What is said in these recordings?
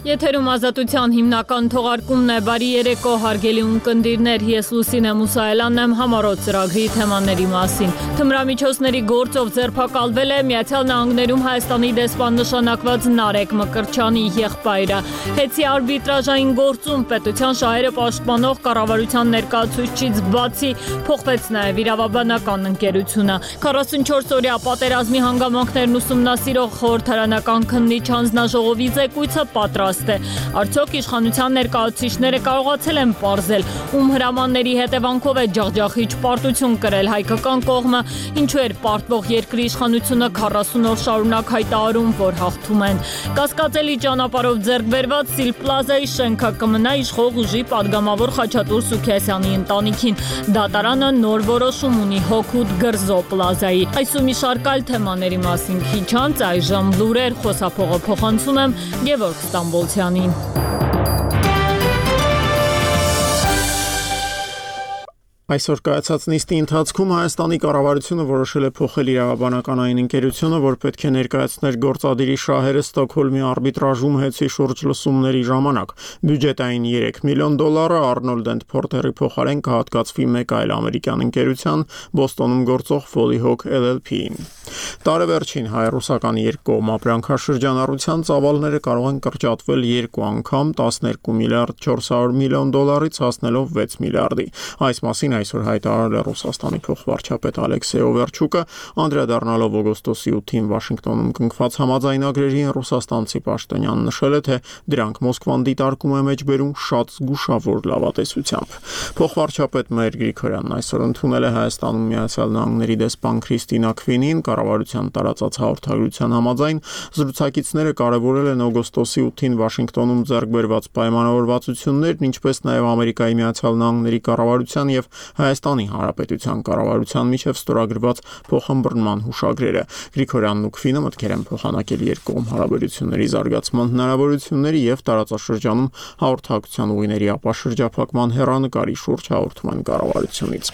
Եթերում ազատության հիմնական թողարկումն է, բարի երեկո հարգելի ունկնդիրներ, ես Լուսինե Մուսայելյանն եմ, համառոտ ծրագրի թեմաների մասին։ Թմրամիջոցների գործով ձերբակալվել է Միացյալ Նահանգներում Հայաստանի դեսպան նշանակված Նարեկ Մկրտչյանի եղբայրը։ Հեծի արբիտրաժային գործում պետության շահերը պաշտպանող կառավարության ներկայացուցիչից բացի փոխվեց նաև իրավաբանական ընկերությունը։ 44-օրյա պատերազմի հանգամանքներն ուսումնասիրող խորհրդարանական քննիչ հանձնաժողովի զեկույցը պատրաստ է։ Արդյոք իշխանության ներկայացուցիչները կարողացել են պարզել, ում հրամանների հետևանքով է ջախջախիչ պարտություն կրել հայկական կողմը, ինչու էր պարտվող երկրի իշխանությունը 40 օր շարունակ հայտարարում, որ հաղթում են։ Կասկածելի ճանապարհով ձեռք բերված Սիլ Պլազայի շենքը կմնա իշխող ուժի падգամավոր Խաչատուր Սուքիասյանի ընտանիքին։ Դատարանը նոր որոշում ունի Հոքուտ Գրզո Պլազայի։ Այս ու մի շարք այլ թեմաների մասին քիչ անց այժմ լուրեր, խոսափողը փոխանցում եմ Գևորգ Ստամբոլցյանին։ Այսօր կայացած նիստի ընթացքում Հայաստանի կառավարությունը որոշել է փոխել իրավաբանական այն ընկերությունը, որ պետք է ներկայացներ գործադիրի շահերը Ստոկհոլմի արբիտրաժում հեծի շուրջ լսումների ժամանակ։ Բյուջետային $3 միլիոն Arnold & Porter-ի փոխարեն կհատկացվի մեկ այլ ամերիկյան ընկերության, Բոստոնում գործող Foleyhawk LLP-ին։ Տարեվերջին հայ-ռուսական երկկողմ ապրանքաշրջանառության ծավալները կարող են կրճատվել 2 անգամ 12 միլիարդ 400 միլիոն դոլարից հասնելով 6 միլիարդի։ Այս մասին այսօր հայտարարել է Ռուսաստանի փոխվարչապետ Ալեքսեյ Օվերչուկը, անդրադառնալով օգոստոսի 8-ին Վաշինգտոնում կնքված համաձայնագրերին ռուսաստանցի պաշտոնյան նշել է, թե դրանք Մոսկվան դիտարկում է մեջբերում շատ զգուշավոր լավատեսությամբ։ Փոխվարչապետ Մայր Գրիգորյանն այսօր ընդունել է Հայաստանում Միացյալ Նահանգների դեսպան Քրիստինա Քվինին, կառավարության տարածած հաղորդագրության համաձայն զրուցակիցները կարևորել են օգոստոսի 8-ին Վաշինգտոնում ձեռք բերված պայմանավորվածություններն, ինչպես նաև Ամերիկայի Միացյալ Նահանգների կառավարության և Հայաստանի Հանրապետության կառավարության միջև ստորագրված փոխըմբռնման հուշագրերը։ Գրիգորյանն ու Քվինը մտքեր են փոխանակել երկկողմ հարաբերությունների զարգացման հնարավորությունների և տարածաշրջանում հաղորդակցության ուղիների ապաշրջափակման հեռանկարի շուրջ հաղորդում են կառավարությունից։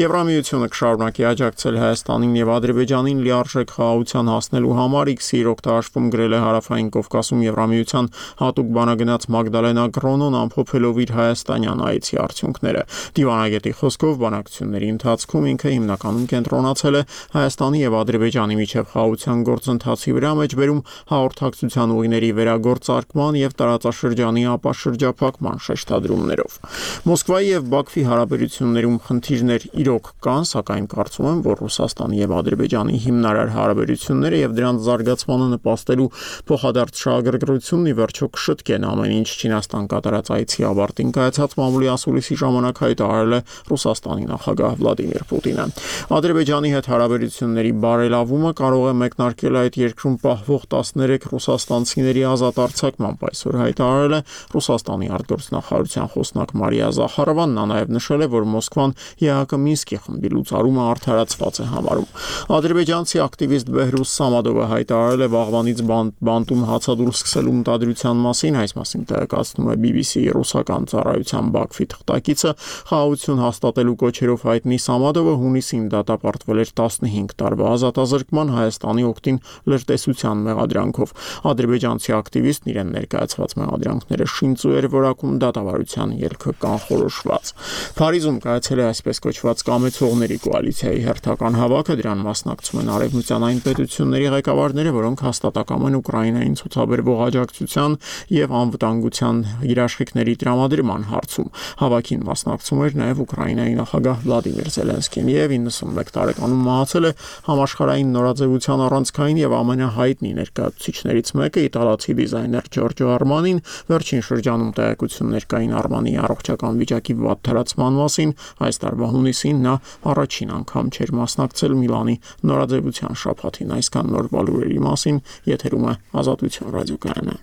Եվրամիությունը կշարունակի աջակցել Հայաստանին և Ադրբեջանին լիարժեք խաղաղության հասնելու համար, X-ի օգտահաշվում գրել է Հարավային Կովկասում Եվրամիության հատուկ բանագնաց Մագդալենա Գրոնոն, ամփոփելով իր հայաստանյան այցի արդյունքները։ Դիվանագետի խոսքով բանակցությունների ընթացքում ինքը հիմնականում կենտրոնացել է Հայաստանի և Ադրբեջանի միջև խաղաղության գործընթացի վրա, մեջբերում հաղորդակցության ուղիների վերագործարկման և տարածաշրջանի ապաշրջափակման շեշտադրումներով։ Մոսկվայի և Բաքվի հարաբերություններում խնդիրներ իրոք կան, սակայն կարծում եմ, որ Ռուսաստանի և Ադրբեջանի հիմնարար հարաբերությունները և դրանց զարգացմանը նպաստելու փոխադարձ շահագրգռությունն ի վերջո կշտկեն ամեն ինչ։ Չինաստան կատարած այցի ավարտին կայացած մամուլի ասուլիսի ժամանակ հայտարարել է Ռուսաստանի նախագահ Վլադիմիր Պուտինը։ Ադրբեջանի հետ հարաբերությունների բարելավումը կարող է մեկնարկել այդ երկրում պահվող 13 ռուսաստանցիների ազատ արձակմամբ, այսօր հայտարարել է Ռուսաստանի արտգործնախարարության խոսնակ Մարիա Զախարովան։ Նա նաև նշել է, որ Մոսկվան ԵԱՀԿ Մինսկի խմբի լուծարումը արդարացված է համարում։ Ադրբեջանցի ակտիվիստ Բեհրուզ Սամադովը հայտարարել է վաղվանից բանտում հացադուլ սկսելու մտադրության մասին, այս մասին տեղեկացնում է BBC-ի ռուսական ծառայության Բաքվի թղթակիցը։ Խաղաղություն հաստատելու կոչերով հայտնի Սամադովը հունիսին դատապարտվել էր 15 տարվա ազատազրկման Հայաստանի օգտին լրտեսության մեղադրանքով։ Ադրբեջանցի ակտիվիստն իրեն ներկայացված մեղադրանքները շինծու էր որակում, դատավարության ելքը կանխորոշված։ Փարիզում կայացել է այսպես կոչված կամեցողների կոալիցիայի հերթական հավաքը, դրան մասնակցում են արևմտյան այն պետությունների ղեկավարները, որոնք հաստատակամ են Ուկրաինային ցուցաբերվող աջակցության և անվտանգության երաշխիքների տրամադրման հարցում։ Հավաքին մասնակցում էր նաև Ուկրաինայի նախագահ Վլադիմիր Զելենսկին և 91 տարեկանում մահացել է համաշխարհային նորաձևության առանցքային և ամենահայտնի ներկայացուցիչներից մեկը իտալացի դիզայներ Ջորջո Արմանին։ Վերջին շրջանում տեղեկություններ կային Արմանիի առողջական վիճակի վատթարացման մասին։ Այս տարվա հունիսին նա առաջին անգամ չէր մասնակցել Միլանի նորաձևության շաբաթին։ Այսքան նոր լուրերի մասին եթերում է Ազատություն ռադիոկայանը։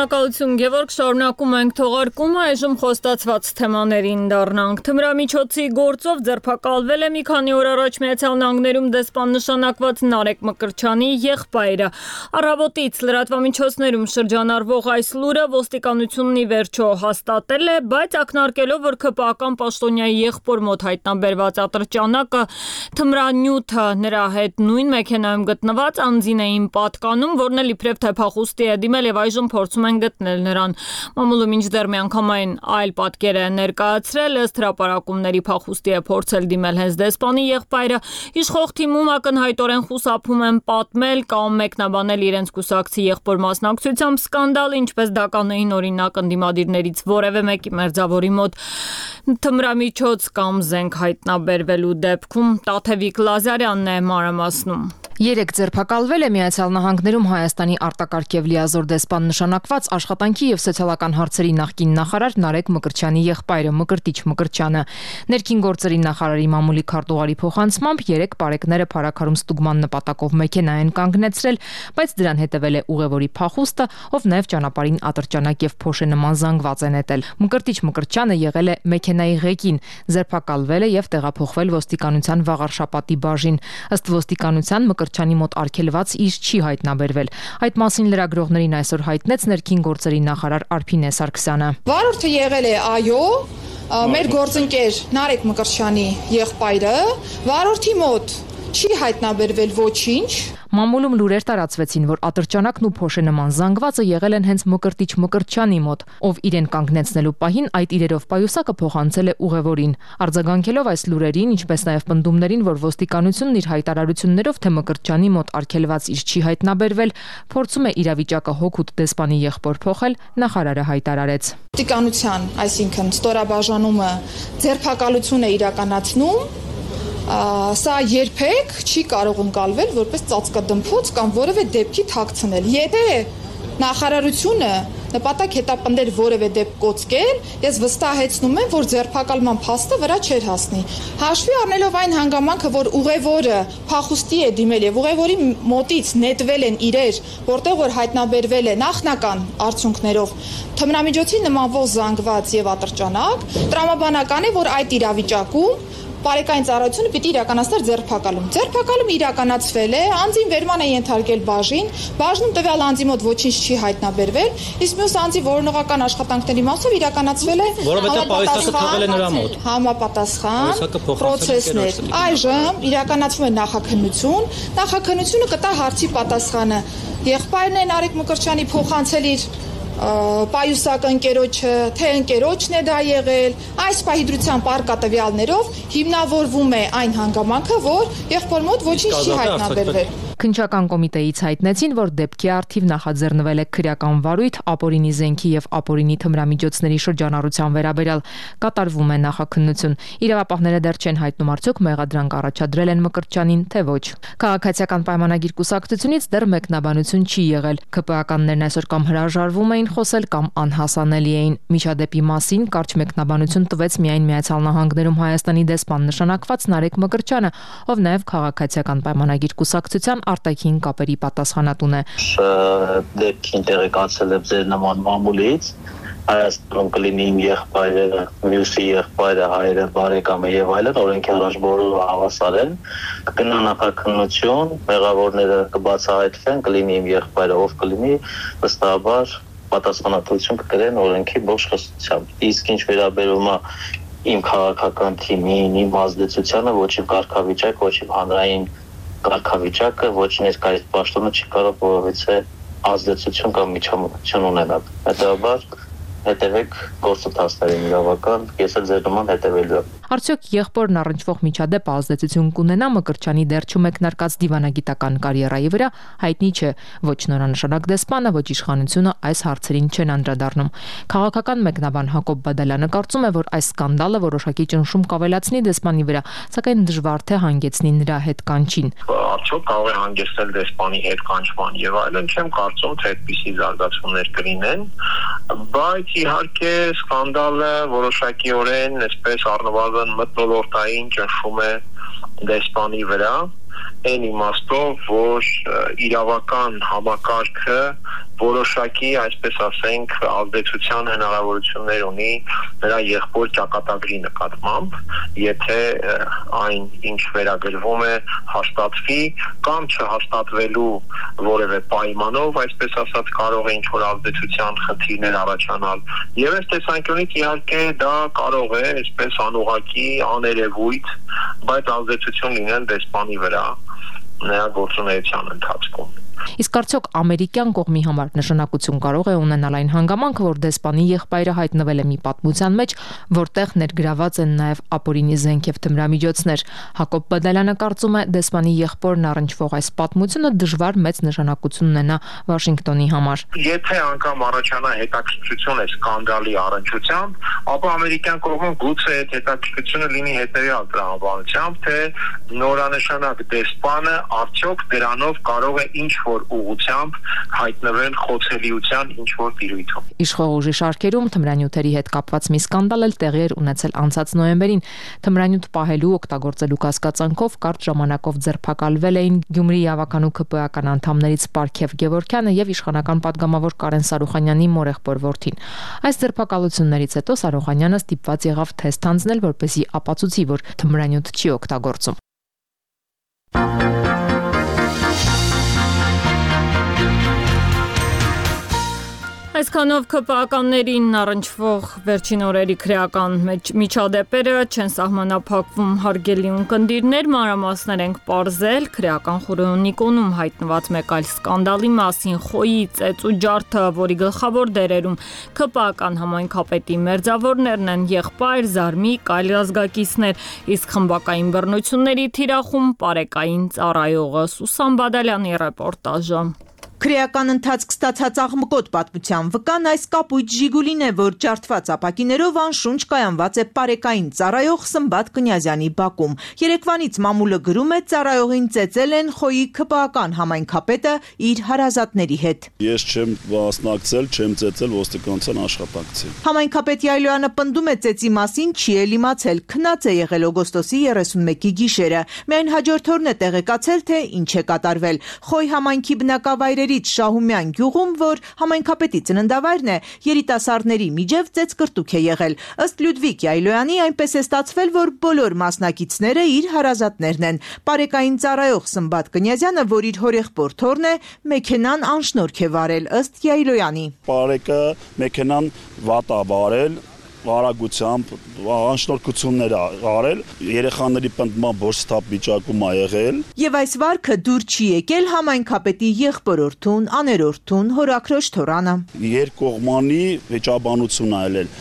Շնորհակալություն Գևորգ, շարունակում ենք թողարկումը, այժմ խոստացված թեմաներին դառնանք։ Թմրամիջոցի գործով ձերբակալվել է մի քանի օր առաջ Միացյալ Նահանգներում դեսպան նշանակված Նարեկ Մկրտչյանի եղբայրը։ Առավոտից լրատվամիջոցներում շրջանառվող այս լուրը ոստիկանությունն ի վերջո հաստատել է, բայց ակնարկելով, որ ԿՊԱ-ական պաշտոնյայի եղբոր մոտ հայտնաբերված ատրճանակը թմրանյութը նրա հետ նույն մեքենայում գտնված անձին էին պատկանում, որն էլ իբրև թե փախուստի է դիմել եւ այժմ փորձում են գտնել նրան։ Մամուլը մինչդեռ միանգամայն այլ պատկեր է ներկայացրել, ըստ հրապարակումների փախուստի է փորձել դիմել հենց դեսպանի եղբայրը։ Իշխող թիմում ակնհայտորեն խուսափում են պատմել կամ մեկնաբանել իրենց կուսակցի եղբոր մասնակցությամբ սկանդալը, ինչպես դա կանեին օրինակ ընդդիմադիրներից որևէ մեկի մերձավորի մոտ թմրամիջոց կամ զենք հայտնաբերվելու դեպքում։ Տաթևիկ Լազարյանն է մանրամասնում։ Երեք ձերբակալվել է Միացյալ Նահանգներում Հայաստանի արտակարգ եւ լիազոր դեսպան նշանակված աշխատանքի եւ սոցիալական հարցերի նախկին նախարար Նարեկ Մկրտչյանի եղբայրը Մկրտիչ Մկրտչյանը։ Ներքին գործերի նախարարի մամուլի քարտուղարի փոխանցմամբ 3 պարեկները փարաքարում ստուգման նպատակով մեքենա են կանգնեցրել, բայց դրան հետևել է ուղևորի փախուստը, ով նաեւ ճանապարհին ատրճանակ եւ փոշե նման զանգված է նետել։ Մկրտիչ Մկրտչյանը եղել է մեքենայի ղեկին, ձերբակալվել է եւ տեղափոխվել ոստիկանության Վաղարշապատի բաժին։ Ըստ ոստիկանության Մկրտչյանի մոտ արգելված իր չի հայտնաբերվել։ Այդ մասին լրագրողներին այսօր հայտնեց ներքին գործերի նախարար Արփինե Սարգսյանը։ Վարորդը եղել է այո, մեր գործընկեր Նարեկ Մկրտչյանի եղբայրը, վարորդի մոտ չի հայտնաբերվել ոչինչ։ Մամուլում լուրեր տարածվեցին, որ ատրճանակն ու փոշե նման զանգվածը եղել են հենց Մկրտիչ Մկրտչյանի մոտ, ով իրեն կանգնեցնելու պահին այդ իրերով պայուսակը փոխանցել է ուղևորին։ Արձագանքելով այս լուրերին, ինչպես նաև պնդումներին, որ ոստիկանությունն իր հայտարարություններով թե Մկրտչյանի մոտ արգելված իր չի հայտնաբերվել, փորձում է իրավիճակը հոգուտ դեսպանի եղբոր փոխել, նախարարը հայտարարեց։ Ոստիկանության, այսինքն ստորաբաժանումը ձերբակալություն է իրականացնում։ Սա երբեք չի կարող ընկալվել որպես ծածկադմփոց կամ որևէ դեպքի թաքցնել։ Եթե նախարարությունը նպատակ հետապնդեր որևէ դեպք կոծկել, ես վստահեցնում եմ, որ ձերբակալման փաստը վրա չէր հասնի։ Հաշվի առնելով այն հանգամանքը, որ ուղևորը փախուստի է դիմել եւ ուղևորի մոտից նետվել են իրեր, որտեղ որ հայտնաբերվել է նախնական արդյունքներով թմրամիջոցի նմանվող զանգված եւ ատրճանակ, տրամաբանական է, որ այդ իրավիճակում Բարեկային ծառայությունը պիտի իրականացներ ձերբակալում։ Ձերբակալումը իրականացվել է, անձին վերման է ենթարկել բաժին, բաժնում տվյալ անձի մոտ ոչինչ չի հայտնաբերվել, իսկ մյուս անձի որոնողական աշխատանքների մասով իրականացվել է համապատասխան պրոցեսներ։ Այժմ իրականացվում է նախաքննություն, նախաքննությունը կտա հարցի պատասխանը։ Եղբայրն է Նարեկ Մկրտչյանի փոխանցել իր պայուսակ ընկերոջը, թե ընկերոջն է դա եղել, այս պահի տվյալներով հիմնավորվում է այն հանգամանքը, որ եղբոր մոտ ոչինչ չի հայտնաբերվել։ Քննչական կոմիտեից հայտնեցին, որ դեպքի առթիվ նախաձեռնվել է քրեական վարույթ ապօրինի զենքի եւ ապօրինի թմրամիջոցների շրջանառության վերաբերյալ, կատարվում է նախաքննություն։ Իրավապահները դեռ չեն հայտնում արդյոք մեղադրանք առաջադրել են Մկրտչյանին, թե ոչ։ Քաղաքացիական պայմանագիր կուսակցությունից դեռ մեկնաբանություն չի եղել։ ԿՊԱ-ականներն այսօր կամ հրաժարվում էին խոսել կամ անհասանելի էին։ Միջադեպի մասին կարճ մեկնաբանություն տվեց միայն Միացյալ Նահանգներում Հայաստանի դեսպան նշանակված Նարեկ Մկրտչյանը, ով նաեւ քաղաքացիական պայմանագիր կուսակցության արտաքին կապերի պատասխանատուն է։ Դեպքին տեղեկացել եմ ձեր նման մամուլից, Հայաստանում կլինի իմ եղբայրը, մյուսի եղբայրը, հայրը, բարեկամը եւ այլն, օրենքի առաջ բոլորը հավասար են։ Կգնա նախաքննություն, մեղավորները կբացահայտվեն, կլինի իմ եղբայրը, ով կլինի, վստահաբար պատասխանատվություն կկրեն օրենքի ողջ խստությամբ։ Իսկ ինչ վերաբերում է իմ քաղաքական թիմին, իմ ազդեցությանը, ոչ իմ կարգավիճակ, ոչ իմ հանրային կարգավիճակը, ոչ ներկայիս պաշտոնը չի կարող որևէ ազդեցություն կամ միջամտություն ունենալ։ Հետևաբար հետևեք գործընթացներին իրավական, ես էլ ձեր նման հետևելու եմ։ Արդյոք եղբորն առնչվող միջադեպը ազդեցություն կունենա Մկրտչյանի դեռ չմեկնարկած դիվանագիտական կարիերայի վրա, հայտնի չէ։ Ոչ նորանշանակ դեսպանը, ոչ իշխանությունը այս հարցերին չեն անդրադառնում։ Քաղաքական մեկնաբան Հակոբ Բադալյանը կարծում է, որ այս սկանդալը որոշակի ճնշում կավելացնի դեսպանի վրա, սակայն դժվար թե հանգեցնի նրա հետ կանչին։ Արդյոք կարող է հանգեցնել դեսպանի հետ կանչման եւ այլն, չեմ կարծում, թե այդպիսի զարգացումներ կլինեն, բայց իհարկե սկանդալը որոշակիորեն այսպես առնվազն մթնոլորտային ճնշում է դեսպանի վրա այն իմաստով, որ իրավական համակարգը որոշակի, այսպես ասենք, ազդեցության հնարավորություններ ունի նրա եղբոր ճակատագրի նկատմամբ, եթե այն ինչ վերագրվում է հաստատվի կամ չհաստատվելու որևէ պայմանով, այսպես ասած, կարող է ինչ-որ ազդեցության խնդիրներ առաջանալ։ Եվ այս տեսանկյունից իհարկե դա կարող է, այսպես անուղղակի, աներևույթ, բայց ազդեցություն լինել դեսպանի վրա նրա գործունեության ընթացքում։ Իսկ արդյոք ամերիկյան կողմի համար նշանակություն կարող է ունենալ այն հանգամանքը, որ դեսպանի եղբայրը հայտնվել է մի պատմության մեջ, որտեղ ներգրաված են նաև ապօրինի զենք եւ թմրամիջոցներ։ Հակոբ Բադալյանը կարծում է, դեսպանի եղբորն առնչվող այս պատմությունը դժվար մեծ նշանակություն ունենա Վաշինգտոնի համար։ Եթե անգամ առաջանա հետաքրքրություն է սկանդալի առնչությամբ, ապա ամերիկյան կողմում գուցե այդ հետաքրքրությունը լինի հետեւյալ տրամաբանությամբ, թե նորանշանակ դեսպանը արդյոք դրանով կարող է ինչ-որ ուղղությամբ հայտնվել խոցելիության ինչ-որ տիրույթում։ Իշխող ուժի շարքերում թմրանյութերի հետ կապված մի սկանդալ էլ տեղի էր ունեցել անցած նոյեմբերին։ Թմրանյութ պահելու օգտագործելու կասկածանքով կարճ ժամանակով ձերբակալվել էին Գյումրիի ավականու ԿՊ-ական անդամներից Պարքև Գևորգյանը եւ իշխանական падգամավոր Կարեն Սարուխանյանի մորեղբոր որդին։ Այս ձերբակալություններից հետո Սարուխանյանը ստիպված եղավ թեստ հանձնել, որպեսզի ապացուցի, որ թմրանյութ չի օգտագործում։ Այսքանով ԿՊ-ականներին առնչվող վերջին օրերի քրեական միջադեպերը չեն սահմանափակվում, հարգելի ունկնդիրներ, մանրամասներ ենք պարզել քրեական խորհրդանիկոնում հայտնված մեկ այլ սկանդալի մասին, Խոյի ծեծու ջարդը, որի գլխավոր դերերում ԿՊ-ական համայնքապետի մերձավորներն են, եղբայր, Զարմիկ, այլ ազգակիցներ, իսկ խմբակային բռնությունների թիրախում պարեկային ծառայողը։ Սուսան Բադալյանի ռեպորտաժը։ Քրեական ընթացք ստացած աղմկոտ պատմության վկան այս կապույտ Ժիգուլին է, որ ջարդված ապակիներով անշունչ կայանված է պարեկային ծառայող Սմբատ Կնյազյանի բակում։ Երեկվանից մամուլը գրում է, ծառայողին ծեծել են Խոյի ԿՊ-ական համայնքապետը իր հարազատների հետ։ Ես չեմ մասնակցել, չեմ ծեծել ոստիկանության աշխատակցին։ Համայնքապետ Յայլոյանը պնդում է ծեծի մասին չի էլ իմացել, քնած է եղել օգոստոսի 31-ի գիշերը։ Միայն հաջորդ օրն է տեղեկացել, թե ինչ է կատարվել։ Խոյ համայնքի բնակավայրերի Շահումյան գյուղում, որ համայնքապետի ծննդավայրն է, երիտասարդների միջև ծեծկրտուք է եղել։ Ըստ Լյուդվիկ Յայլոյանի, այնպես է ստացվել, որ բոլոր մասնակիցները իր հարազատներն են։ Պարեկային ծառայող Սմբատ Կնյազյանը, որ իր հորեղբոր թոռն է, մեքենան անշնորհք է վարել, ըստ Յայլոյանի։ Պարեկը մեքենան վատ է վարել, արագությամբ անշնորհքություններ արել, երեխաների պնդման բորստապ վիճակում է եղել։ Եվ այս վարքը դուր չի եկել համայնքապետի եղբորորդուն, աներորդուն, հորաքրոջ թորանը։ Երկկողմանի վիճաբանություն է ելել։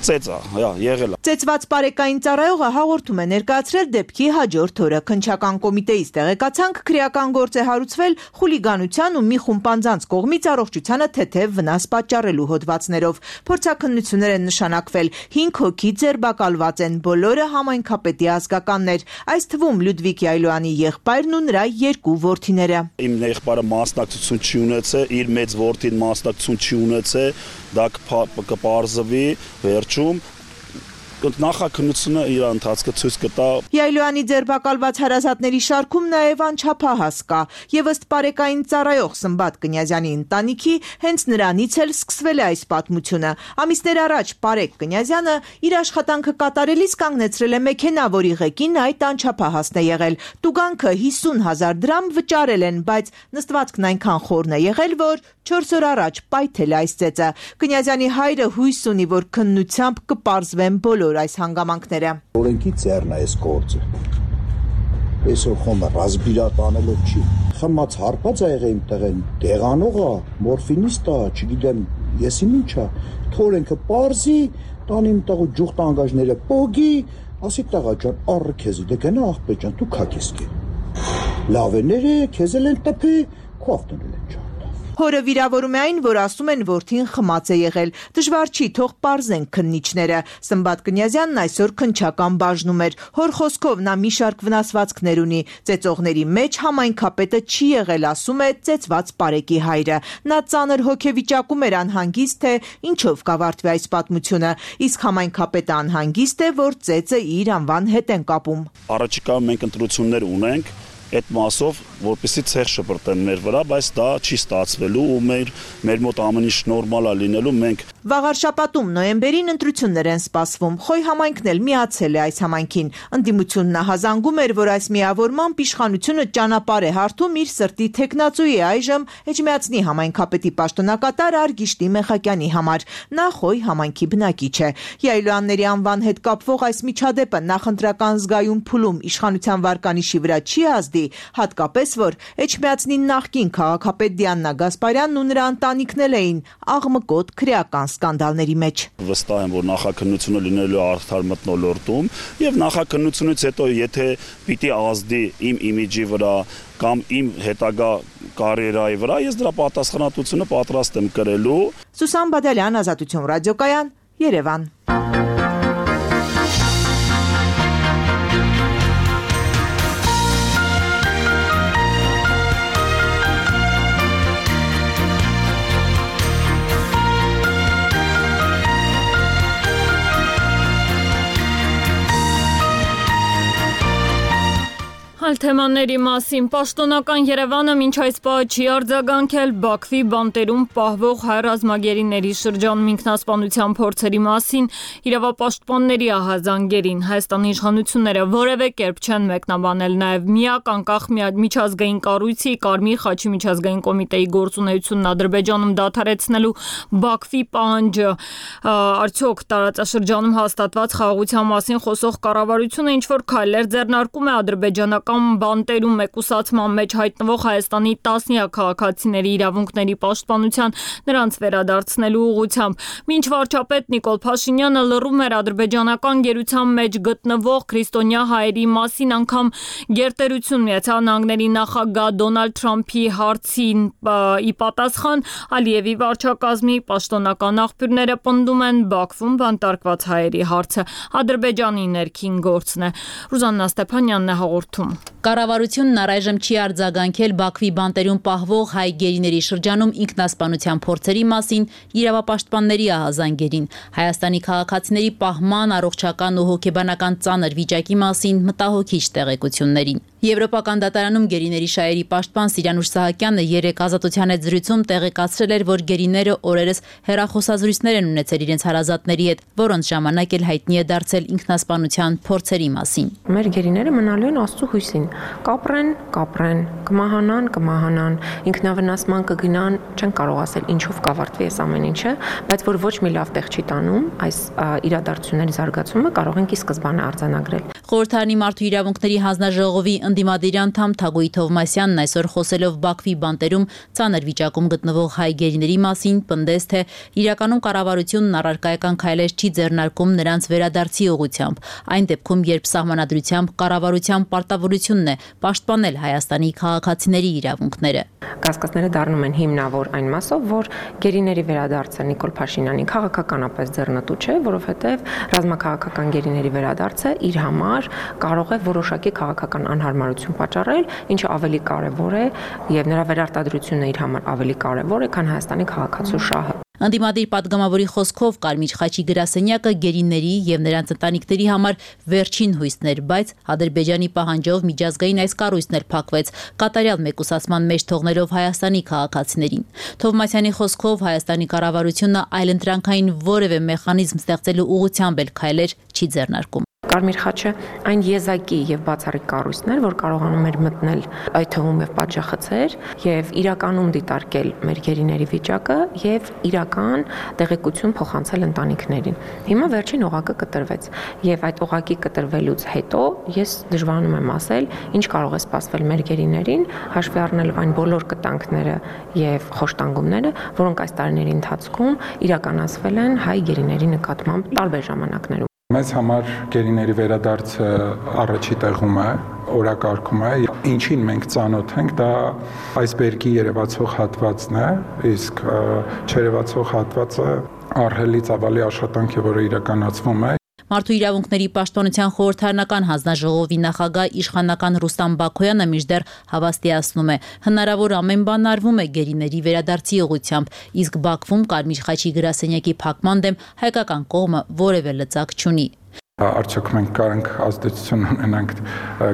Ծեծա, եղել է։ Ծեծված պարեկային ծառայողը հաղորդում է ներկայացրել դեպքի հաջորդ օրը։ Քննչական կոմիտեից տեղեկացանք, քրեական գործ է հարուցվել խուլիգանության ու մի խումբ անձանց կողմից առողջությանը թեթև վնաս պատճառելու հոդվածներով։ Փորձաքննություններ են նշանակվել, 5 հոգի ձերբակալված են, բոլորը համայնքապետի ազգականներ, այս թվում Լյուդվիկ Յայլոյանի եղբայրն ու նրա 2 որդիները։ Իմ եղբայրը մասնակցություն չի ունեցել, իր մեծ որդին մասնակցություն չի ունեցել, դա կպարզվի վերջում նախաքննությունը իր ընթացքը ցույց կտա։ Յայլոյանի ձերբակալված հարազատների շարքում նաև անչափահաս կա, եւ ըստ պարեկային ծառայող Սմբատ Կնյազյանի ընտանիքի հենց նրանից էլ սկսվել է այս պատմությունը։ Ամիսներ առաջ Պարեկ Կնյազյանը իր աշխատանքը կատարելիս կանգնեցրել է մեքենա, որի ղեկին այդ անչափահասն է եղել։ Տուգանքը 50,000 դրամ վճարել են, բայց նստվածքն այնքան խորն է եղել, որ 4 օր առաջ պայթել է այս ծեծը։ Կնյազյանի հայրը հույս ունի, որ քննությամբ կպարզվեն բոլոր այս հանգամանքները։ Օրենքի ծերն է այս գործը։ Այսօր խոմը ռազմիրատ անելով չի։ Խմած հարբած է եղել իմ տղեն, դեղանողա, մորֆինիստ է, չգիտեմ, եսի ինչա։ Օրենքը պարզի, տան իմ տղու ջուղ տանգաժները պոգի, ասի տղա ջան, առ քեզի դե գնա աղբե ջան, դու քա քեզ կե։ Լավ է ները, քեզ էլ են տպի, քո ավտոնել են ջան։ Հորը վիրավորում է այն, որ ասում են որդին խմած է եղել։ Դժվար չի, թող պարզեն քննիչները։ Սմբատ Կնյազյանն այսօր քննչական բաժնում էր։ Հոր խոսքով նա մի շարք վնասվածքներ ունի։ Ծեծողների մեջ համայնքապետը չի եղել, ասում է ծեծված Պարեկի հայրը։ Նա ծանր հոգեվիճակում էր, անհանգիստ թե ինչով կավարտվի այս պատմությունը։ Իսկ համայնքապետը անհանգիստ է, որ ծեծը իր անվան հետ են կապում։ Առաջիկայում մենք ընտրություններ ունենք այդ մասով, որպեսզի ցեղ շպրտեն մեր վրա, բայց դա չի ստացվելու ու մեր մոտ ամեն ինչ նորմալ է լինելու, մենք Վաղար շաբաթում նոյեմբերին ընտրություններ են սպասվում։ Խոյ համայնքն էլ միացել է այս համայնքին։ Ընդդիմությունն հազանգում էր, որ այս միավորմամբ իշխանությունը ճանապարհ է հարթում իր սրտի թեկնածուի այժմ Էջմիածնի համայնքապետի պաշտոնակատար Արգիշտի Մեխակյանի համար։ Նա Խոյ համայնքի բնակիչ է։ Յայլոյանների անվան հետ կապվող այս միջադեպը նախընտրական զգայուն փուլում իշխանության վարկանիշի վրա չի ազդի, հատկապես որ Էջմիածնի նախկին քաղաքապետ Դիանա Գասպարյանն ու նրա ընտանիքն էին աղմկոտ քրեական սկանդալների մեջ։ Վստահ եմ, որ նախաքննությունը լինելու է արդար մթնոլորտում եւ նախաքննությունից հետո եթե պիտի ազդի իմ իմիջի վրա կամ իմ հետագա կարիերայի վրա, ես դրա պատասխանատվությունը պատրաստ եմ կրելու։ Սուսան Բադալյան, Ազատություն ռադիոկայան, Երևան։ Այլ թեմաների մասին պաշտոնական Երևանը մինչ այս պահը չի արձագանքել Բաքվի բանտերում պահվող հայ ռազմագերիների շրջանում ինքնասպանության փորձերի մասին իրավապաշտպանների ահազանգերին։ Հայաստանի իշխանությունները որևէ կերպ չեն մեկնաբանել նաև միակ անկախ միջազգային կառույցի Կարմիր խաչի միջազգային կոմիտեի գործունեությունն Ադրբեջանում դադարեցնելու Բաքվի պահանջը։ Արդյոք տարածաշրջանում հաստատված խաղաղության մասին խոսող կառավարությունը ինչ-որ քայլեր ձեռնարկում է ադրբեջանական բանտերում մեկուսացման մեջ հայտնվող Հայաստանի տասնյակ քաղաքացիների իրավունքների պաշտպանության նրանց վերադարձնելու ուղղությամբ։ Մինչ վարչապետ Նիկոլ Փաշինյանը լռում էր ադրբեջանական գերության մեջ գտնվող քրիստոնյա հայերի մասին, անգամ գերտերություն Միացյալ Նահանգների նախագահ Դոնալդ Թրամփի հարցին ի պատասխան Ալիևի վարչակազմի պաշտոնական աղբյուրները պնդում են Բաքվում բանտարկված հայերի հարցը Ադրբեջանի ներքին գործն է։ Ռուզաննա Ստեփանյանն է հաղորդում։ Կառավարությունն առայժմ չի արձագանքել Բաքվի բանտերում պահվող հայ գերիների շրջանում ինքնասպանության փորձերի մասին իրավապաշտպանների ահազանգերին, Հայաստանի քաղաքացիների պահման, առողջական ու հոգեբանական ծանր վիճակի մասին մտահոգիչ տեղեկություններին։ Եվրոպական դատարանում գերիների շահերի պաշտպան Սիրանուշ Սահակյանը երեկ Ազատության հետ զրույցում տեղեկացրել էր, որ գերիները օրերս հեռախոսազրույցներ են ունեցել իրենց հարազատների հետ, որոնց ժամանակ էլ հայտնի է դարձել ինքնասպանության փորձերի մասին։ Մեր գերիները մնալու են Աստծո հույսին, կապրեն, կմահանան, ինքնավնասման կգնան, չեն կարող ասել ինչով կավարտվի այս ամեն ինչը, բայց որ ոչ մի լավ տեղ չի տանում, այս իրադարձությունների զարգացումը կարող ենք ի սկզբանե արձանագրել։ Խորհրդարանի մարդու իրավունքների հանձնաժողովի ընդդիմադիր անդամ Թագուհի Թովմասյանն այսօր խոսելով Բաքվի բանտերում ծանր վիճակում գտնվող հայ գերիների մասին պնդեց, թե իրականում կառավարությունն առարկայական քայլեր չի ձեռնարկում նրանց վերադարձի ուղղությամբ, այն դեպքում, երբ սահմանադրությամբ կառավարության պարտավորությունն է պաշտպանել Հայաստանի քաղաքացիների իրավունքները։ Կասկածները դառնում են հիմնավոր այն մասով, որ գերիների վերադարձը Նիկոլ Փաշինյանի քաղաքականապես ձեռնտու չէ, որովհետև ռազմաքաղաքական գերիների վերադարձը իր համար կարող է որոշակի քաղաքական անհարմարություն պատճառել, ինչը ավելի կարևոր է եւ նրա վերարտադրությունը իր համար ավելի կարևոր է, քան Հայաստանի քաղաքացու շահը։ Ընդդիմադիր պատգամավորի խոսքով Կարմիր խաչի գրասենյակը գերիների եւ նրանց ընտանիքների համար վերջին հույսն էր, բայց Ադրբեջանի պահանջով միջազգային այս կառույցն էլ փակվեց, կատարյալ մեկուսացման մեջ թողնելով Հայաստանի քաղաքացիներին։ Թովմասյանի խոսքով Հայաստանի կառավարությունը այլընտրանքային որևէ մեխանիզմ ստեղծելու ուղղությամբ էլ քայլեր չի ձեռնարկում։ Կարմիր խաչը այն եզակի եւ բացառիկ կառույցն էր, որ կարողանում էր մտնել այդ թվում եւ պատժախցեր եւ իրականում դիտարկել մեր գերիների վիճակը եւ իրական տեղեկություն փոխանցել ընտանիքներին։ Հիմա վերջին օղակը կտրվեց եւ այդ օղակի կտրվելուց հետո ես դժվարանում եմ ասել, ինչ կարող է սպասվել մեր գերիներին, հաշվի առնելով այն բոլոր կտանքները եւ խոշտանգումները, որոնք այս տարիների ընթացքում իրականացվել են հայ գերիների նկատմամբ տարբեր ժամանակներում։ Մեզ համար գերիների վերադարձը առաջի տեղում է, օրակարգում է, ինչին մենք ծանոթ ենք, դա այսբերգի երևացող հատվածն է, իսկ չերևացող հատվածը ահռելի ծավալի աշխատանք է, որը իրականացվում է։ Մարդու իրավունքների պաշտպանության խորհրդարանական հանձնաժողովի նախագահ իշխանական Ռուստամ Բաքոյանը մինչդեռ հավաստիացնում է, հնարավոր ամեն բան արվում է գերիների վերադարձի ուղղությամբ, իսկ Բաքվում Կարմիր խաչի գրասենյակի փակման դեմ հայկական կողմը որևէ լծակ չունի։ Արդյոք մենք կարանք ազդեցություն ունենանք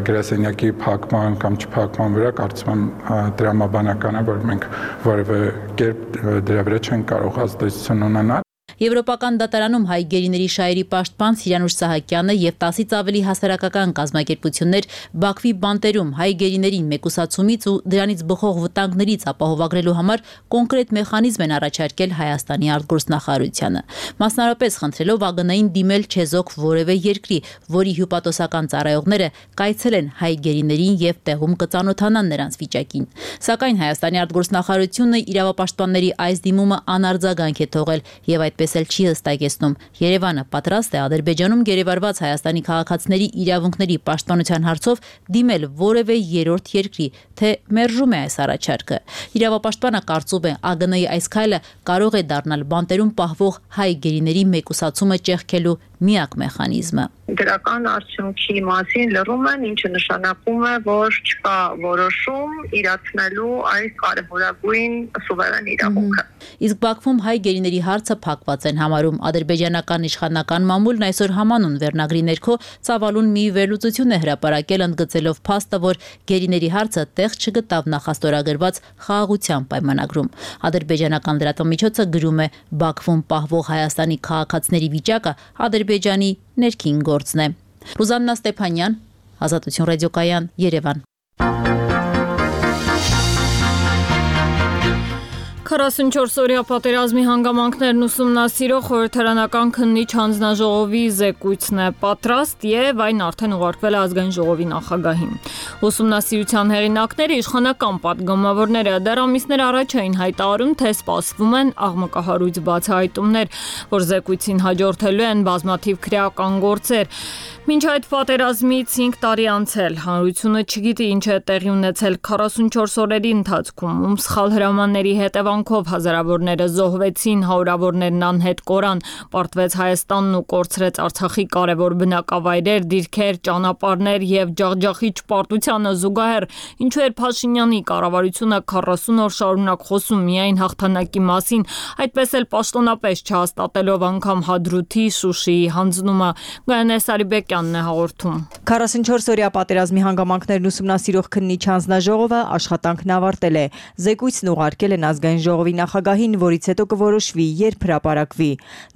գրասենյակի փակման կամ չփակման վրա, կարծում եմ դրամաբանական է, որ մենք որևէ կերպ դրա վրա չենք կարող ազդեցություն ունենալ։ Եվրոպական դատարանում հայ գերիների շահերի պաշտպան Սիրանուշ Սահակյանը եւ 10-ից ավելի հասարակական կազմակերպություններ Բաքվի բանտերում հայ գերիներին մեկուսացումից ու դրանից բխող վտանգներից ապահովագրելու համար կոնկրետ մեխանիզմ են առաջարկել Հայաստանի արտգործնախարարությանը, մասնարարպես խնդրելով ԱԳՆ-ին դիմել չեզոք որևէ երկրի, որի հյուպատոսական ծառայողները կայցելեն հայ գերիներին եւ տեղում կծանոթանան նրանց վիճակին։ Սակայն Հայաստանի արտգործնախարարությունը իրավապաշտպանների այս դիմումը անարձագանք է թողել եւ այդպես չի հստակեցնում Երևանը պատրաստ է Ադրբեջանում գերեվարված Հայաստանի քաղաքացիների իրավունքների պաշտպանության հարցով դիմել որևէ երրորդ երկրի, թե մերժում է այս առաջարկը։ Իրավապաշտպանը կարծում է ԱԳՆ-ի այս քայլը կարող է դառնալ բանտերում պահվող հայ գերիների մեկուսացումը ճեղքելու միակ մեխանիզմը։ Դրական արդյունքի մասին լռում են, ինչը նշանակում է, որ չկա որոշում իրացնելու այս կարևորագույն սուվերեն իրավունքը։ Իսկ Բաքվում հայ գերիների հարցը փակված են համարում ադրբեջանական իշխանական մամուլն այսօր համանուն վերնագրի ներքո ծավալուն մի վերլուծություն է հրապարակել ընդգծելով փաստը, որ գերիների հարցը տեղ չգտավ նախաստորագրված խաղաղության պայմանագրում։ Ադրբեջանական լրատվամիջոցը գրում է Բաքվում պահվող Հայաստանի քաղաքացիների վիճակը Ադրբեջանի ներքին գործն է։ Ռուզաննա Ստեփանյան, Ազատություն ռադիոկայան, Երևան։ 44-օրյա պատերազմի հանգամանքներն ուսումնասիրող խորհրդարանական քննիչ հանձնաժողովի զեկույցն է պատրաստ եւ այն արդեն ուղարկվել է ազգային ժողովի նախագահին։ Ուսումնասիրության հեղինակները իշխանական պատգամավորները դեռ ամիսներ առաջ էին հայտարարում, թե սպասվում են աղմկահարույց բացահայտումներ, որ զեկույցին հաջորդելու են բազմաթիվ քրեական գործեր։ Մինչ այդ պատերազմից 5 տարի անցել, հանրությունը չգիտի ինչ է տեղի ունեցել 44 օրերի ընթացքում, ում սխալ հրամանների հետևանքով հազարավորները զոհվեցին, հարյուրավորներն անհետ կորան, պարտվեց Հայաստանն ու կորցրեց Արցախի կարևոր բնակավայրեր, դիրքեր, ճանապարհներ եւ ջախջախիչ պարտությանը զուգահեռ, ինչու էր Փաշինյանի կառավարությունը 40 օր շարունակ խոսում միայն հաղթանակի մասին, այդպես էլ պաշտոնապես չհաստատելով անգամ Հադրութի, Շուշիի հանձնումը։ Գայանե Սարիբեկյանն է հաղորդում։ 44-օրյա պատերազմի հանգամանքներն ուսումնասիրող քննիչ հանձնաժողովը աշխատանքն ավարտել է։ Զեկույցն ուղարկել են ազգային ժողովի նախագահին, որից հետո կորոշվի, երբ հրապարակվի։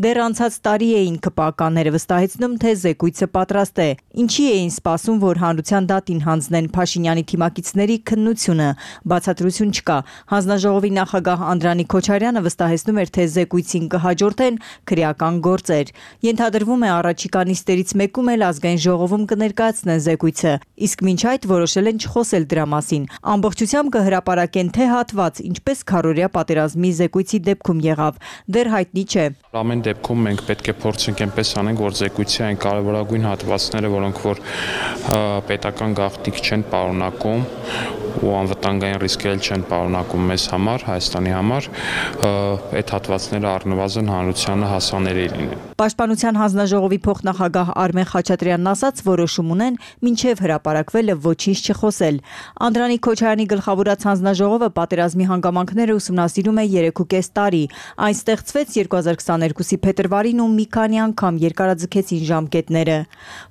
Դեռ անցած տարի էին ԿՊԱ-ականները վստահեցնում, թե զեկույցը պատրաստ է։ Ինչի էին սպասում, որ հանրության դատին հանձնեն Փաշինյանի թիմակիցների քննությունը։ Բացատրություն չկա։ Հանձնաժողովի նախագահ Անդրանիկ Քոչարյանը վստահեցնում էր, թե զեկույցին կհաջորդեն քրեական գործեր։ Ենթադրվում է առաջիկա նիստերից մեկում էլ ազգային ժողովում կներկայացնեն զեկույցը, իսկ մինչ այդ որոշել են չխոսել դրա մասին։ Ամբողջությամբ կհրապարակեն թե հատված, ինչպես քառօրյա պատերազմի զեկույցի դեպքում եղավ, դեռ հայտնի չէ։ Ամեն դեպքում մենք պետք է փորձենք այնպես անենք, որ զեկույցի այն կարևորագույն հատվածները, որոնք որ պետական գաղտնիք չեն պարունակում ու անվտանգային ռիսկեր չեն պարունակում մեզ համար, Հայաստանի համար, այդ հատվածները առնվազն հանրությանը հասանելի լինեն։ Պաշտպանության հանձնաժողովի փոխնախագահ Արմեն Խաչատրյանն ասաց, որոշում ունեն մինչև հրապարակվելը ոչինչ չխոսել։ Անդրանիկ Քոչարյանի գլխավորած հանձնաժողովը պատերազմի հանգամանքները ուսումնասիրում է 3.5 տարի։ Այն ստեղծվեց 2022-ի փետրվարին ու մի քանի անգամ երկարաձգեցին ժամկետները։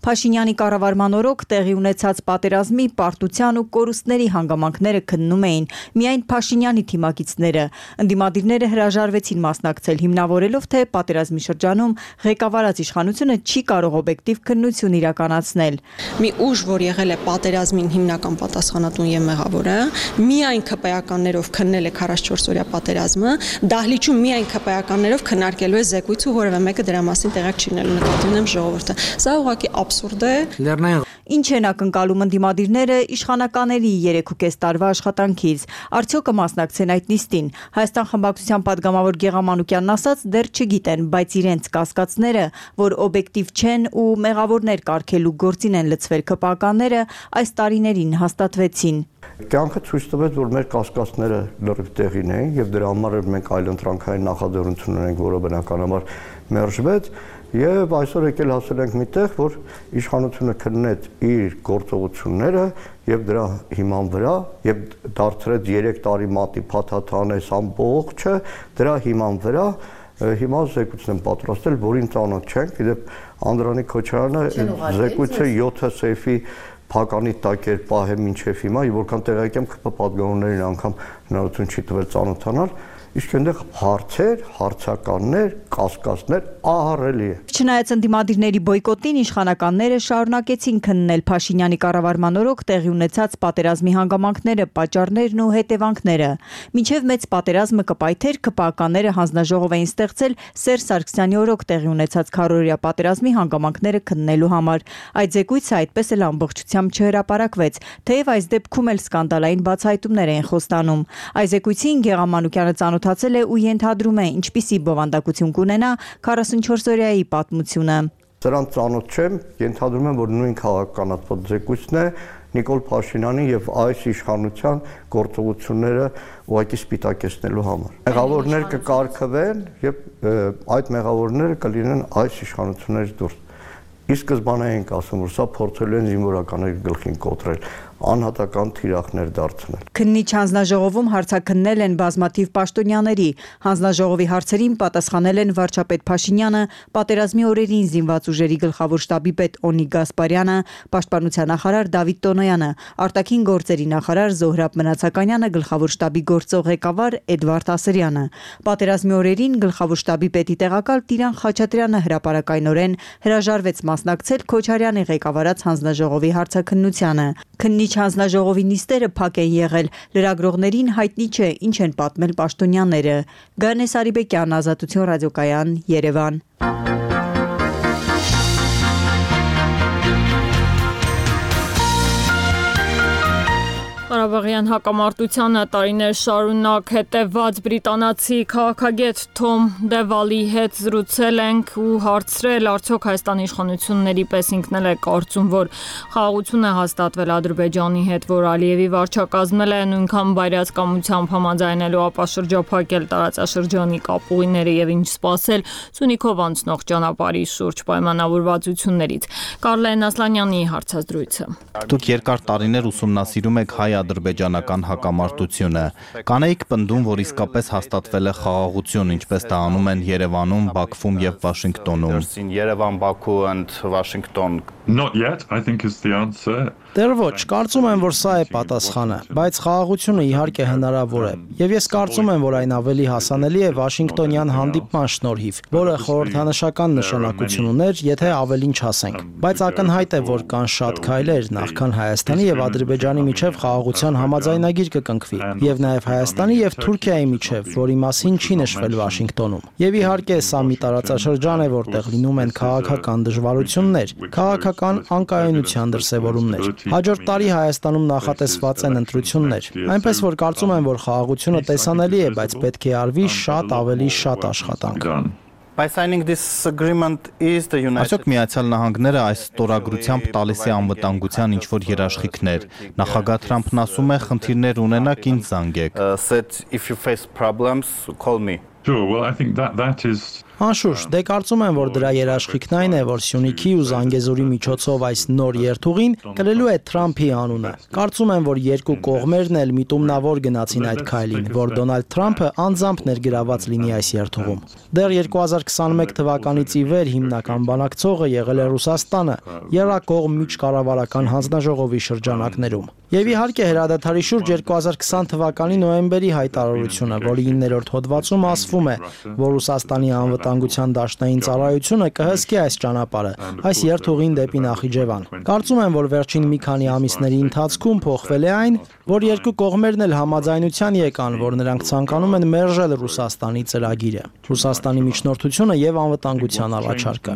Փաշինյանի կառավարման օրոք տեղի ունեցած պատերազմի պարտության ու կորուստների հանգամանքները քննում էին միայն Փաշինյանի թիմակիցները։ Ընդդիմադիրները հրաժարվեցին մասնակցել, հիմնավորելով, թե պատերազմի շրջանում ղեկավարած իշխանությունը չի կարող օբյեկտիվ քննություն իրականացնել։ Մի ուժ, որ եղել է պատերազմին հիմնական պատասխանատուն եւ մեղավորը, միայն ԿՊԱ-ականներով քննել է 44-օրյա պատերազմը, դահլիճում միայն ԿՊԱ-ականներով քննարկելու է զեկույցը, որևէ մեկը դրա մասին տեղյակ չի լինելու, նկատի ունեմ ժողովուրդը։ Սա ուղղակի աբսուրդ է։ Ինչ են ակնկալում ընդդիմադիրները իշխանականների 3.5 տարվա աշխատանքից, արդյոք կմասնակցեն այդ նիստին։ Հայաստան խմբակցության падգամավոր Գեգամ Մանուկյանն ասաց, դեռ չգիտեն, բայց իրենց կասկածները, որ օբյեկտիվ չեն ու մեղավորներ կարգելու գործին են լցվել ԿՊԱ-ականները, այս տարիներին հաստատվեցին։ Կյանքը ցույց տվեց, որ մեր կասկածները լրիվ տեղին էին եւ դրա համար մենք այլընտրանքային նախաձեռնություն ունենք, որը բնականաբար մերժվեց եւ այսօր եկել հասել ենք միտեղ, որ իշխանությունը քննեց իր գործողությունները եւ դրա հիման վրա եւ դարձրեց 3 տարի մատի փաթաթանես ամբողջը դրա հիման վրա հիմա զեկույցն են պատրաստել, որին ծանոթ չենք, իդեպ Անդրանիկ Քոչարյանը զեկույցը 7 սեյֆի փականի տակ էր պահել մինչև հիմա, եւ որքան տեղյակ եմ, ԿՊ պատգամավորներին անգամ հնարավորություն չի տվել ծանոթանալ, իսկ այնտեղ հարցեր, հարցականներ, կասկածներ ահռելի է։ Չնայած ընդդիմադիրների բոյկոտին, իշխանականները շարունակեցին քննել Փաշինյանի կառավարման օրոք տեղի ունեցած պատերազմի հանգամանքները, պատճառներն ու հետևանքները։ Մինչև մեծ պատերազմը կպայթեր, ԿՊԱ-ականները հանձնաժողով էին ստեղծել Սերժ Սարգսյանի օրոք տեղի ունեցած քառօրյա պատերազմի հանգամանքները քննելու համար։ Այդ զեկույցը այդպես էլ ամբողջությամբ չհրապարակվեց, թեև այս դեպքում էլ սկանդալային բացահայտումներ էին խոստանում։ Այս զեկույցին Գեգամ Մանուկյանը ծանոթացել է ու ենթադրում է, ինչպիսի բովանդակություն կունենա 44-օրյայի պատմությունը։ Սրան ծանոթ չեմ, ենթադրում եմ, որ նույն քաղաքականացված զեկույցն է Նիկոլ Փաշինյանի եւ այս իշխանության գործողությունները ուղղակի սպիտակեցնելու համար։ Մեղավորներ կկարգվեն եւ այդ մեղավորները կլինեն այս իշխանություններից դուրս։ Իսկ սկզբանե ենք ասում, որ սա փորձելու են զինվորականների գլխին կոտրել, անհատական թիրախներ դարձնել։ Քննիչ հանձնաժողովում հարցաքննել են բազմաթիվ պաշտոնյաների։ Հանձնաժողովի հարցերին պատասխանել են վարչապետ Փաշինյանը, պատերազմի օրերին զինված ուժերի գլխավոր շտաբի պետ Օնիկ Գասպարյանը, պաշտպանության նախարար Դավիթ Տոնոյանը, արտաքին գործերի նախարար Զոհրաբ Մնացականյանը, գլխավոր շտաբի գործող ղեկավար Էդվարդ Ասրյանը։ Պատերազմի օրերին գլխավոր շտաբի պետի տեղակալ Տիրան Խաչատրյանը հրապարակայնորեն հրաժարվեց մասնակցել Քոչարյանի ղեկավարած հանձնաժողովի հարցաքննությանը։ Քննիչ հանձնաժողովի նիստերը փակ են եղել, լրագրողներին հայտնի չէ ինչ են պատմել պաշտոնյաները։ Գանես Արիբեկյան, Ազատություն ռադիոկայան, Երևան։ Ղարաբաղյան հակամարտությանը տարիներ շարունակ հետևված բրիտանացի քաղաքագետ Թոմ Դևալի հետ զրուցել ենք ու հարցրել, արդյոք Հայաստանի իշխանությունների պես ինքն էլ է կարծում, որ խաղաղություն է հաստատվել Ադրբեջանի հետ, որ Ալիևի վարչակազմել է նույնքան բայրացկամությամբ համաձայնելու ապա շրջափակել տարածաշրջանի կապուղիները եւ ինչ սպասել Սյունիքով անցնող ճանապարհի շուրջ պայմանավորվածություններից։ Կարլեն Ասլանյանի հարցազրույցը։ Դուք երկար տարիներ ուսումնասիրում եք հայ-ադրբեջանական հակամարտությունը։ Կանեիք պնդում, որ իսկապես հաստատվել է խաղաղություն, ինչպես դա անում են Երևանում, Բաքվում եւ Վաշինգտոնում։ Yerevan, Baku and Washington. Not yet, I think is the answer. Դեռ ոչ, կարծում եմ, որ սա է պատասխանը, բայց խաղաղությունը իհարկե հնարավոր է։ Եվ ես կարծում եմ, որ այն ավելի հասանելի է Վաշինգտոնյան հանդիպման շնորհիվ, որը խորհրդանշական նշանակություն ուներ, եթե ավելին չասենք։ Բայց ակնհայտ է, որ կան շատ քայլեր, նախքան Հայաստանի եւ Ադրբեջանի միջև խաղաղության համաձայնագիր կկնքվի, եւ նաեւ Հայաստանի եւ Թուրքիայի միջև, որի մասին չի նշվել Վաշինգտոնում։ Եվ իհարկե սա մի տարածաշրջան է, որտեղ լինում են քաղաքական դժվարություններ, քաղաքական անկայունության դրսևորումներ։ Հաջորդ տարի Հայաստանում նախատեսված են ընտրություններ, այնպես որ կարծում եմ, որ խաղաղությունը տեսանելի է, բայց պետք է արվի շատ ավելի շատ աշխատանք։ Այսօք Միացյալ Նահանգները այս ստորագրությամբ տալիս է անվտանգության ինչ-որ երաշխիքներ։ Նախագահ Թրամփն ասում է, խնդիրներ ունենաք, ինձ զանգեք։ Sure, well, I think that is Անշուշտ, դե կարծում եմ, որ դրա երաշխիքն այն է, որ Սյունիքի ու Զանգեզուրի միջոցով այս նոր երթուղին կրելու է Թրամփի անունը։ Կարծում եմ, որ երկու կողմերն էլ միտումնավոր գնացին այդ քայլին, որ Դոնալդ Թրամփը անձամբ ներգրաված լինի այս երթուղում։ Դեռ 2021 թվականից ի վեր հիմնական բանակցողը եղել է Ռուսաստանը, Եռակողմ միջկառավարական հանձնաժողովի շրջանակներում։ Եվ իհարկե հրադադարի շուրջ 2020 թվականի նոյեմբերի հայտարարությունը, որի 9-րդ հոդվածում ասվում պատրաստվում է, որ Ռուսաստանի անվտանգության դաշնային ծառայությունը կհսկի այս ճանապարհը, այս երթուղին դեպի Նախիջևան։ Կարծում եմ, որ վերջին մի քանի ամիսների ընթացքում փոխվել է այն, որ երկու կողմերն էլ համաձայնության եկան, որ նրանք ցանկանում են մերժել Ռուսաստանի ծրագիրը, Ռուսաստանի միջնորդությունը եւ անվտանգության առաջարկը։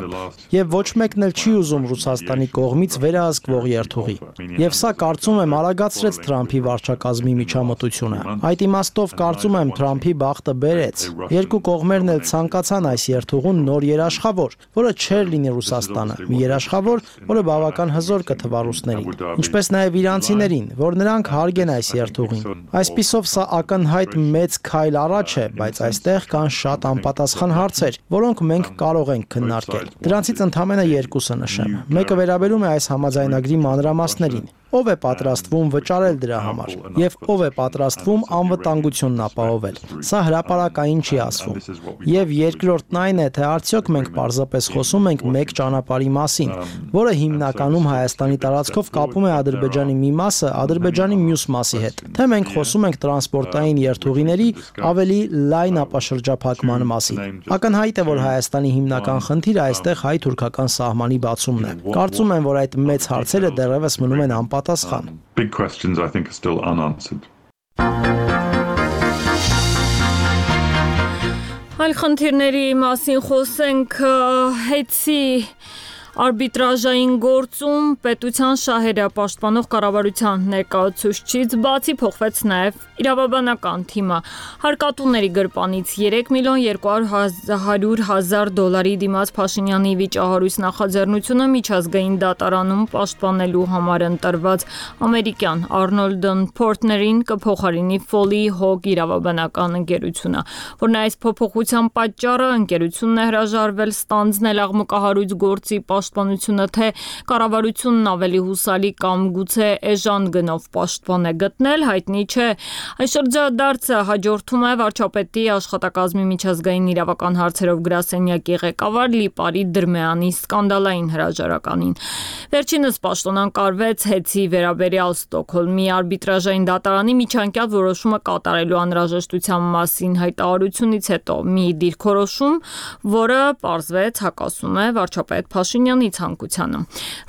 Եվ ոչ մեկն էլ չի ուզում Ռուսաստանի կողմից վերահսկվող երթուղի։ Եվ սա կարծում եմ արագացրեց Թրամփի վարչակազմի միջամտությունը։ Այդ իմաստով կարծում եմ Թրամփի բախտը բերեց։ Երկու կողմերն էլ ցանկացան այս երթուղուն նոր երաշխավոր, որը չէր լինի Ռուսաստանը, մի երաշխավոր, որը բավական հզոր կթվա ռուսներին, ինչպես նաև իրանցիներին, որ նրանք հարգեն այս երթուղին։ Այսպիսով սա ակնհայտ մեծ քայլ առաջ է, բայց այստեղ կան շատ անպատասխան հարցեր, որոնք մենք կարող ենք քննարկել։ Դրանցից ընդամենը երկուսը նշեմ։ Մեկը վերաբերում է այս համաձայնագրի մանրամասներին։ Ով է պատրաստվում վճարել դրա համար եւ ով է պատրաստվում անվտանգությունն ապահովել։ Սա հրապարակային չի ասվում։ Եվ երկրորդն այն է, թե արդյոք մենք պարզապես խոսում ենք մեկ ճանապարհի մասին, որը հիմնականում Հայաստանի տարածքով կապում է Ադրբեջանի մի մասը Ադրբեջանի մյուս մասի հետ, թե մենք խոսում ենք տրանսպորտային երթուղիների ավելի լայն ապաշրջափակման մասին։ Ակնհայտ է, որ Հայաստանի հիմնական խնդիրը այստեղ հայ-թուրքական սահմանի բացումն է։ Կարծում եմ, որ այդ մեծ հարցերը դեռևս մնում են անպատասխան։ Big questions I think are still unanswered. Այլ խնդիրների մասին խոսենք հեծի արբիտրաժային գործում պետության շահերը պաշտպանող կառավարության ներկայացուցչից բացի փոխվեց նաև իրավաբանական թիմը։ Հարկատուների գրպանից 3,2 միլիոն դիմաց Փաշինյանի վիճահարույց նախաձեռնությունը միջազգային դատարանում պաշտպանելու համար ընտրված ամերիկյան Arnold & Partner-ին կփոխարինի Foley Hog իրավաբանական ընկերությունը, որն այս փոփոխության պատճառը ընկերությունն է հրաժարվել ստանձնել աղմկահարույց գործի պաշտպանությունը, թե կառավարությունն ավելի հուսալի կամ գուցե էժան գնով պաշտպան է գտնել, հայտնի չէ։ Այս շրջադարձը հաջորդում է վարչապետի աշխատակազմի միջազգային իրավական հարցերով գրասենյակի ղեկավար Լիպարի Դրմեանի սկանդալային հրաժարականին։ Վերջինս պաշտոնակարվեց հեծի վերաբերյալ Ստոկհոլմի արբիտրաժային դատարանի միջանկյալ որոշումը կատարելու անհրաժեշտության մասին հայտարարությունից հետո մի դիրքորոշում, որը պարզվեց հակասում է վարչապետ Փաշինյանի ցանկությանը։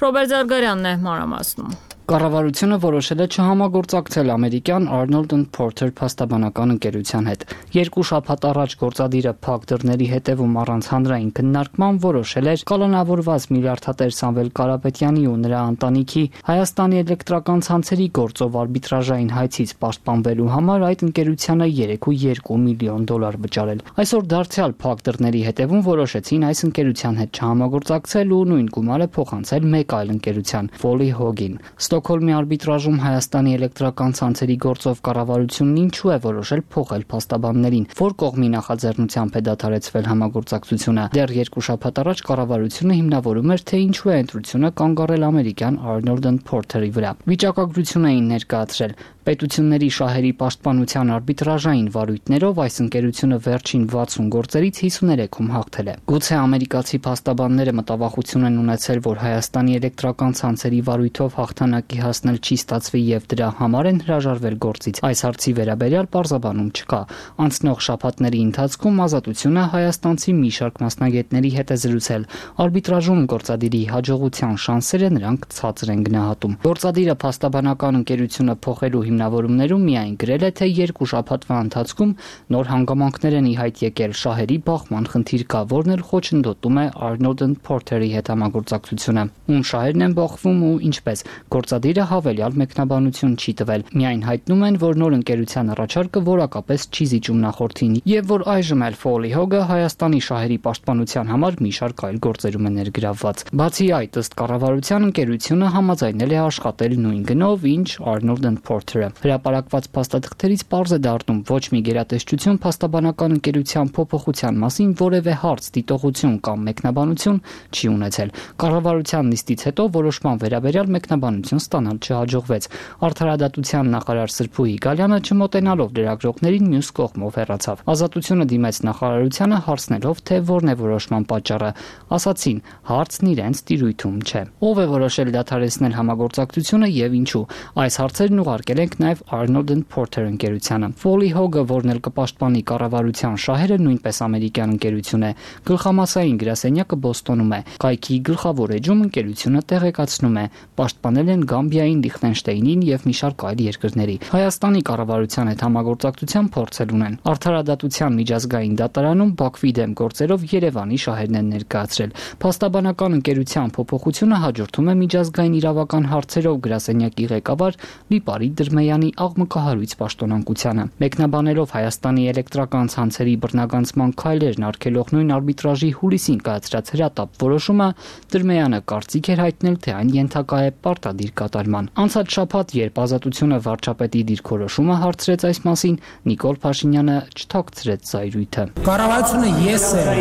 Ռոբերտ Զարգարյանն է մանրամասնում։ Կառավարությունը որոշել է չհամագործակցել ամերիկյան Arnold & Partner փաստաբանական ընկերության հետ։ Երկու շաբաթ առաջ գործադիրը փակ դռների հետևում առանց հանրային քննարկման որոշել էր կալանավորված միլիարդատեր Սամվել Կարապետյանի ու նրա ընտանիքի Հայաստանի էլեկտրական ցանցերի գործով արբիտրաժային հայցից պաշտպանվելու համար այդ ընկերությանը 3.2 միլիոն դոլար վճարել։ Այսօր դարձյալ փակ դռների հետևում որոշեցին այս ընկերության հետ չհամագործակցել ու նույն գումարը փոխանցել մեկ այլ ընկերության՝ Foley Hog-ին։ Ստոկհոլմի արբիտրաժում Հայաստանի էլեկտրական ցանցերի գործով կառավարությունն ինչու է որոշել փոխել փաստաբաններին, որ կողմի նախաձեռնությամբ է դադարեցվել համագործակցությունը։ Դեռ երկու շաբաթ առաջ կառավարությունը հիմնավորում էր, թե ինչու է ընտրությունը կանգ առել ամերիկյան Arnold & Partner-ի վրա։ Վիճակագրություն էին ներկայացրել։ Պետությունների շահերի պաշտպանության արբիտրաժային վարույթներով այս ընկերությունը վերջին 60 գործերից 53-ում հաղթել է։ Գուցե ամերիկացի փաստաբանները մտավախություն են ունեցել, որ Հայաստանի էլեկտրական ցանցերի վարույթով հաղթանակի հասնել չի ստացվի եւ դրա համար են հրաժարվել գործից։ Այս հարցի վերաբերյալ պարզաբանում չկա։ Անցնող շաբաթների ընթացքում Ազատությունը հայաստանցի մի շարք մասնագետների հետ է զրուցել։ Արբիտրաժում գործադիրի հաջողության շանսերը նրանք ցածր են գնահատում։ Գործադիրը փաստաբանական ընկերությունը փոխելու հիմնավորումներում միայն գրել է, թե երկու շաբաթվա ընթացքում նոր հանգամանքներ են ի հայտ եկել, շահերի բախման խնդիր կա, որն էլ խոչընդոտում է Arnold & Partner-ի հետ համագործակցությունը։ Ում շահերն են բախվում ու ինչպես։ Գործադիրը հավելյալ մեկնաբանություն չի տվել։ Միայն հայտնում են, որ նոր ընկերության առաջարկը որակապես չի զիջում նախորդին եւ որ այժմ էլ Foley Hog-ը Հայաստանի շահերի պաշտպանության համար մի շարք այլ գործերում է ներգրավված։ Բացի այդ, ըստ կառավարության ընկերությունը համաձայնել է աշխատել նույն գնով, ինչ Arnold & Partner-ը։ Հրապարակված փաստաթղթերից պարզ է դառնում ոչ մի գերատեսչություն փաստաբանական ընկերության փոփոխության մասին որևէ հարց, դիտողություն կամ մեկնաբանություն չի ունեցել։ Կառավարության նիստից հետո որոշման վերաբերյալ մեկնաբանություն ստանալ չհաջողվեց։ Արդարադատության նախարար Սրփուհի Գալյանը չմոտենալով լրագրողներին մյուս կողմով հեռացավ։ Ազատությունը դիմեց նախարարությանը հարցնելով, թե որն է որոշման պատճառը։ Ասացին, հարցն իրենց տիրույթում չէ։ Ով է որոշել դադարեցնել համագործակցությունը եւ ինչու։ Այս հարցերն ուղարկել են ենք նաև Arnold & Porter ընկերությանը։ Foley Hogg-ը, որն էլ կպաշտպանի կառավարության շահերը, նույնպես ամերիկյան ընկերություն է։ Գլխամասային գրասենյակը Բոստոնում է։ Կայքի գլխավոր էջում ընկերությունը տեղեկացնում է, պաշտպանել են Գամբիային, Լիխտենշտեյնին եւ մի շարք այլ երկրների։ Հայաստանի կառավարության հետ համագործակցության փորձեր ունեն։ Արդարադատության միջազգային դատարանում Բաքվի դեմ գործերով Երևանի շահերն են ներկայացրել։ Փաստաբանական ընկերության փոփոխությունը հաջորդում է միջազգային իրավական հարցերով գրասենյակի ղեկավար Լիպարի Դրմեյանի աղմկահարույց պաշտոնանկությանը։ Մեկնաբանելով Հայաստանի էլեկտրական ցանցերի բռնագանցման քայլերն արգելող նույն արբիտրաժի հուլիսին կայացրած հրատապ որոշումը, Դրմեյանը կարծիք էր հայտնել, թե այն ենթակա է պարտադիր կատարման։ Անցած շաբաթ, երբ Ազատությունը վարչապետի դիրքորոշումը հարցրեց այս մասին, Նիկոլ Փաշինյանը չթաքցրեց զայրույթը։ Կառավարությունը ես եմ,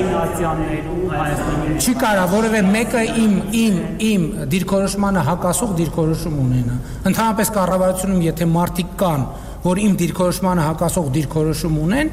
չի կարող որևէ մեկը իմ դիրքորոշմանը հակասող դիրքորոշում ունենա։ Ընդհանրապես կառավարությունում եթե մարդիկ կան, որ իմ դիրքորոշմանը հակասող դիրքորոշում ունեն,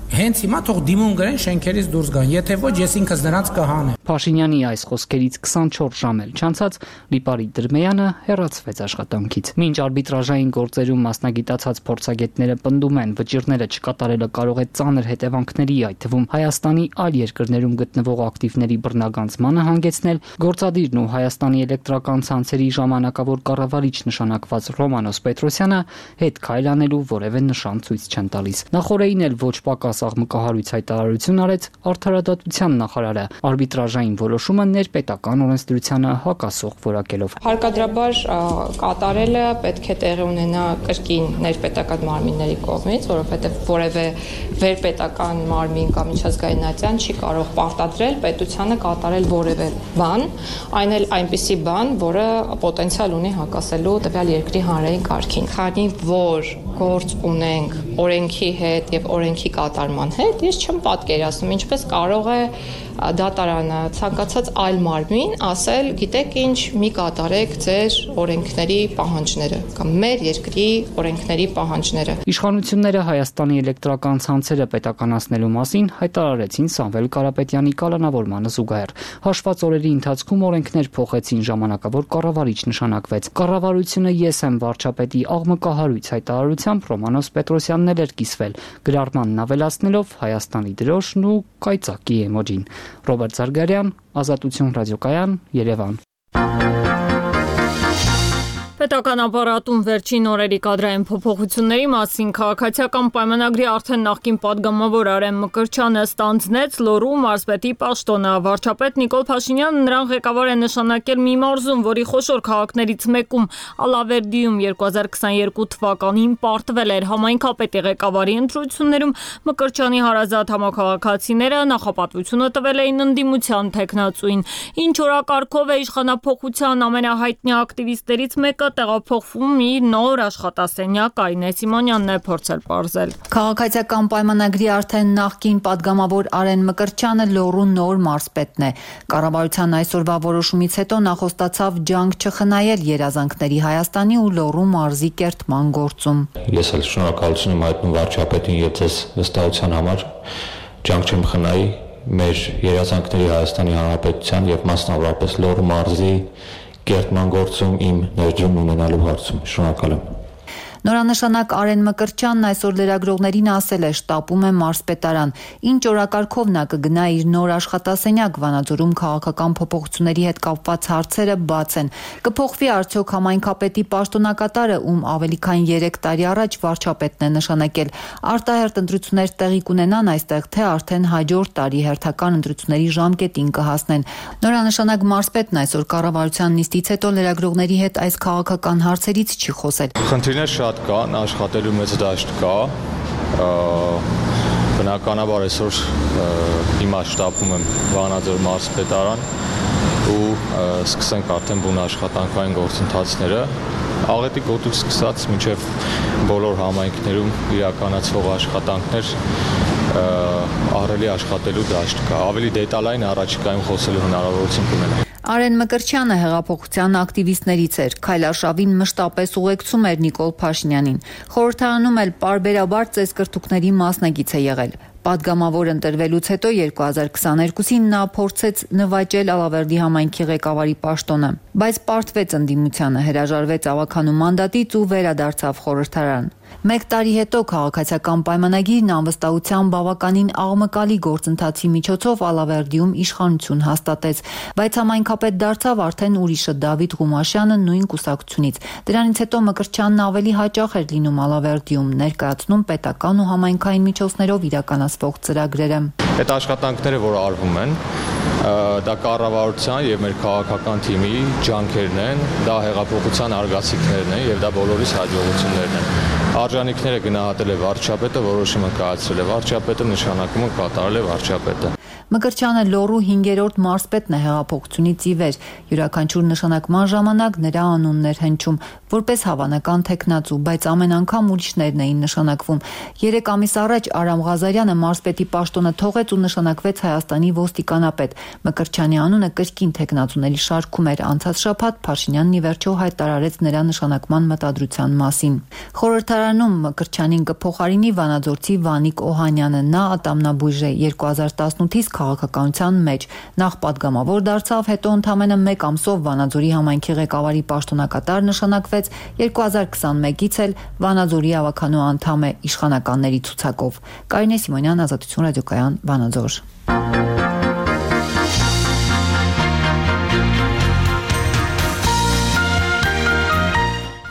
հենց հիմա թող դիմում գրեն շենքերից դուրս գան, եթե ոչ ես ինքս նրանց կհանեմ։ Փաշինյանի այս խոսքերից 24 ժամ էլ չանցած Լիպարի Դրմեյանը հեռացվեց աշխատանքից։ Մինչ արբիտրաժային գործերում մասնագիտացած փորձագետները պնդում են, վճիռները չկատարելը կարող է ծանր հետևանքների, այդ թվում Հայաստանի այլ երկրներում գտնվող ակտիվների բռնագանցմանը հանգեցնել, գործադիրն ու Հայաստանի էլեկտրական ցանցերի ժամանակավոր կառավարիչ նշանակված Ռոմանոս Պետրոսյանը հետ քայլ անելու որևէ նշան ցույց չեն տալիս։ Նախորդին էլ ոչ պակաս աղմկահարույց հայտարարություն արեց արդարադատության նախարարը արբիտրաժային որոշումը ներպետական օրենսդրությանը հակասող որակելով։ Հարկադրաբար կատարելը պետք է տեղի ունենա կրկին ներպետական մարմինների կողմից, որովհետև որևէ վերպետական մարմին կամ միջազգայնատյան չի կարող պարտադրել պետությանը կատարել որևէ բան, այն էլ այնպիսի բան, որը պոտենցիալ ունի հակասելու տվյալ երկրի հանրային կարգին։ Քանի որ գործ ունենք օրենքի հետ եւ օրենքի կատարման հետ, ես չեմ պատկերացնում ինչպես կարող է դատարանը ցանկացած այլ մարմին ասել, գիտեք ինչ, մի կատարեք ձեր օրենքների պահանջները կամ մեր երկրի օրենքների պահանջները։ Իշխանությունները Հայաստանի էլեկտրական ցանցերը պետականացնելու մասին հայտարարեցին Սամվել Կարապետյանի կալանավորմանը զուգահեռ։ Հաշված օրերի ընթացքում օրենքներ փոխեցին, ժամանակավոր կառավարիչ նշանակվեց։ Կառավարությունը ես եմ վարչապետի աղմկահարույց հայտարարությամբ Ռոմանոս Պետրոսյանն էլ էր կիսվել, գրառմանն ավելացնելով Հայաստանի դրոշն ու կայծակի էմոջին։ Ռոբերտ Զարգարյան, Ազատություն ռադիոկայան, Երևան։ Պետական ապարատում վերջին օրերի կադրային փոփոխությունների մասին քաղաքացիական պայմանագրի արդեն նախկին падգամավոր Արեն Մկրտչյանը ստանձնեց Լոռու մարզպետի պաշտոնը։ Վարչապետ Նիկոլ Փաշինյանը նրան ղեկավար է նշանակել մի մարզում, որի խոշոր քաղաքներից մեկում Ալավերդիում 2022 թվականին պարտվել էր համայնքապետի ղեկավարի ընտրություններում Մկրտչյանի հարազատ համաքաղաքացիները նախապատվությունը տվել էին ընդդիմության թեկնածուին։ Ինչ օրակարգով է իշխանափոխության ամենահայտնի ակտիվիստներից մեկը տեղափոխվում իր նոր աշխատասենյակ, Այնե Սիմոնյանն է փորձել պարզել։ Քաղաքացիական պայմանագրի արդեն նախկին падգամավոր Արեն Մկրտչյանը Լոռու նոր մարզպետն է։ Կառավարության այսօրվա որոշումից հետո նա խոստացավ ջանք չխնայել երազանքների Հայաստանի ու Լոռու մարզի կերտման գործում։ Ես էլ շնորհակալություն եմ հայտնում վարչապետին եւ ձեզ վստահության համար։ Ջանք չեմ խնայի մեր երազանքների Հայաստանի Հանրապետության եւ մասնավորապես Լոռու մարզի կերտման գործում իմ ներդրում ունենալու հարցում։ Շնորհակալ եմ։ Նորանշանակ Արեն Մկրտչյանն այսօր լրագրողներին ասել է, շտապում է մարզպետարան։ Ինչ օրակարգով նա կգնա իր նոր աշխատասենյակ, Վանաձորում քաղաքական փոփոխությունների հետ կապված հարցերը բաց են։ Կփոխվի արդյոք համայնքապետի պաշտոնակատարը, ում ավելի քան 3 տարի առաջ վարչապետն է նշանակել։ Արտահերթ ընտրություններ տեղի կունենան այստեղ, թե արդեն հաջորդ տարի հերթական ընտրությունների ժամկետին կհասնեն։ Նորանշանակ մարզպետն այսօր կառավարության նիստից հետո լրագրողների հետ այս քաղաքական հարցերից չի խոսել։ Խնդիրներ շատ կան, աշխատելու մեծ դաշտ կա, բնականաբար այսօր հիմա շտապում եմ Վանաձոր մարզպետարան ու սկսենք արդեն բուն աշխատանքային գործընթացները, աղետի գոտուց սկսած մինչև բոլոր համայնքներում իրականացվող աշխատանքներ ահռելի աշխատելու դաշտ կա, ավելի դետալային առաջիկայում խոսելու հնարավորություն կունենա։ Արեն Մկրտչյանը հեղափոխության ակտիվիստներից էր, քայլարշավին մշտապես ուղեկցում էր Նիկոլ Փաշինյանին։ Խորհրդարանում էլ պարբերաբար ծեսկրտուկների մասնակից է եղել։ Պատգամավոր ընտրվելուց հետո 2022-ին նա փորձեց նվաճել Ալավերդի համայնքի ղեկավարի պաշտոնը, բայց պարտվեց ընդդիմությանը, հրաժարվեց ավականու մանդատից ու վերադարձավ խորհրդարան։ 1 տարի հետո քաղաքացիական պայմանագիրն անվստահության բավականին աղմկալի գործընթացի միջոցով Ալավերդիում իշխանություն հաստատեց, բայց համայնքապետ դարձավ արդեն ուրիշը՝ Դավիթ Ղումաշյանը նույն կուսակցությունից։ Դրանից հետո Մկրտչյանն ավելի հաճախ էր լինում Ալավերդիում, ներկայացնում պետական ու համայնքային միջոցներով իրականացվող ծրագրերը։ Այդ աշխատանքները, որ արվում են, դա կառավարության եւ մեր քաղաքական թիմի ջանքերն են, դա հեղափոխության արգասիքներն են եւ դա բոլորիս հաջողություններն են։ Արժանինքները գնահատել է վարչապետը, որոշումը կայացրել է վարչապետը, նշանակումը կատարել է վարչապետը։ Մկրտչյանը Լոռու 5-րդ մարզպետն է հեղափոխությունից ի վեր։ Յուրաքանչյուր նշանակման ժամանակ նրա անունն էր հնչում որպես հավանական թեկնածու, բայց ամեն անգամ ուրիշներն էին նշանակվում։ 3 ամիս առաջ Արամ Ղազարյանը մարզպետի պաշտոնը թողեց ու նշանակվեց Հայաստանի ոստիկանապետ։ Մկրտչյանի անունը կրկին թեկնածուների շարքում էր։ Անցած շաբաթ Փաշինյանն ի վերջո հայտարարեց նրա նշանակման մտադրության մասին։ Խորհրդարանում Մկրտչյանին կփոխարինի Վանաձորցի Վանիկ Օհանյանը։ Նա ատամնաբույժ է 2018-ից քաղաքականության մեջ։ Նախ պատգամավոր դարձավ, հետո ընդամենը 1 ամսով Վանաձորի համայնքի ղեկավարի պաշտոնակատար նշանակվեց, 2021-ից էլ Վանաձորի ավականու անդամ է իշխանականների ցուցակով։ Կարինե Սիմոնյան, Ազատություն ռադիոկայան, Վանաձոր։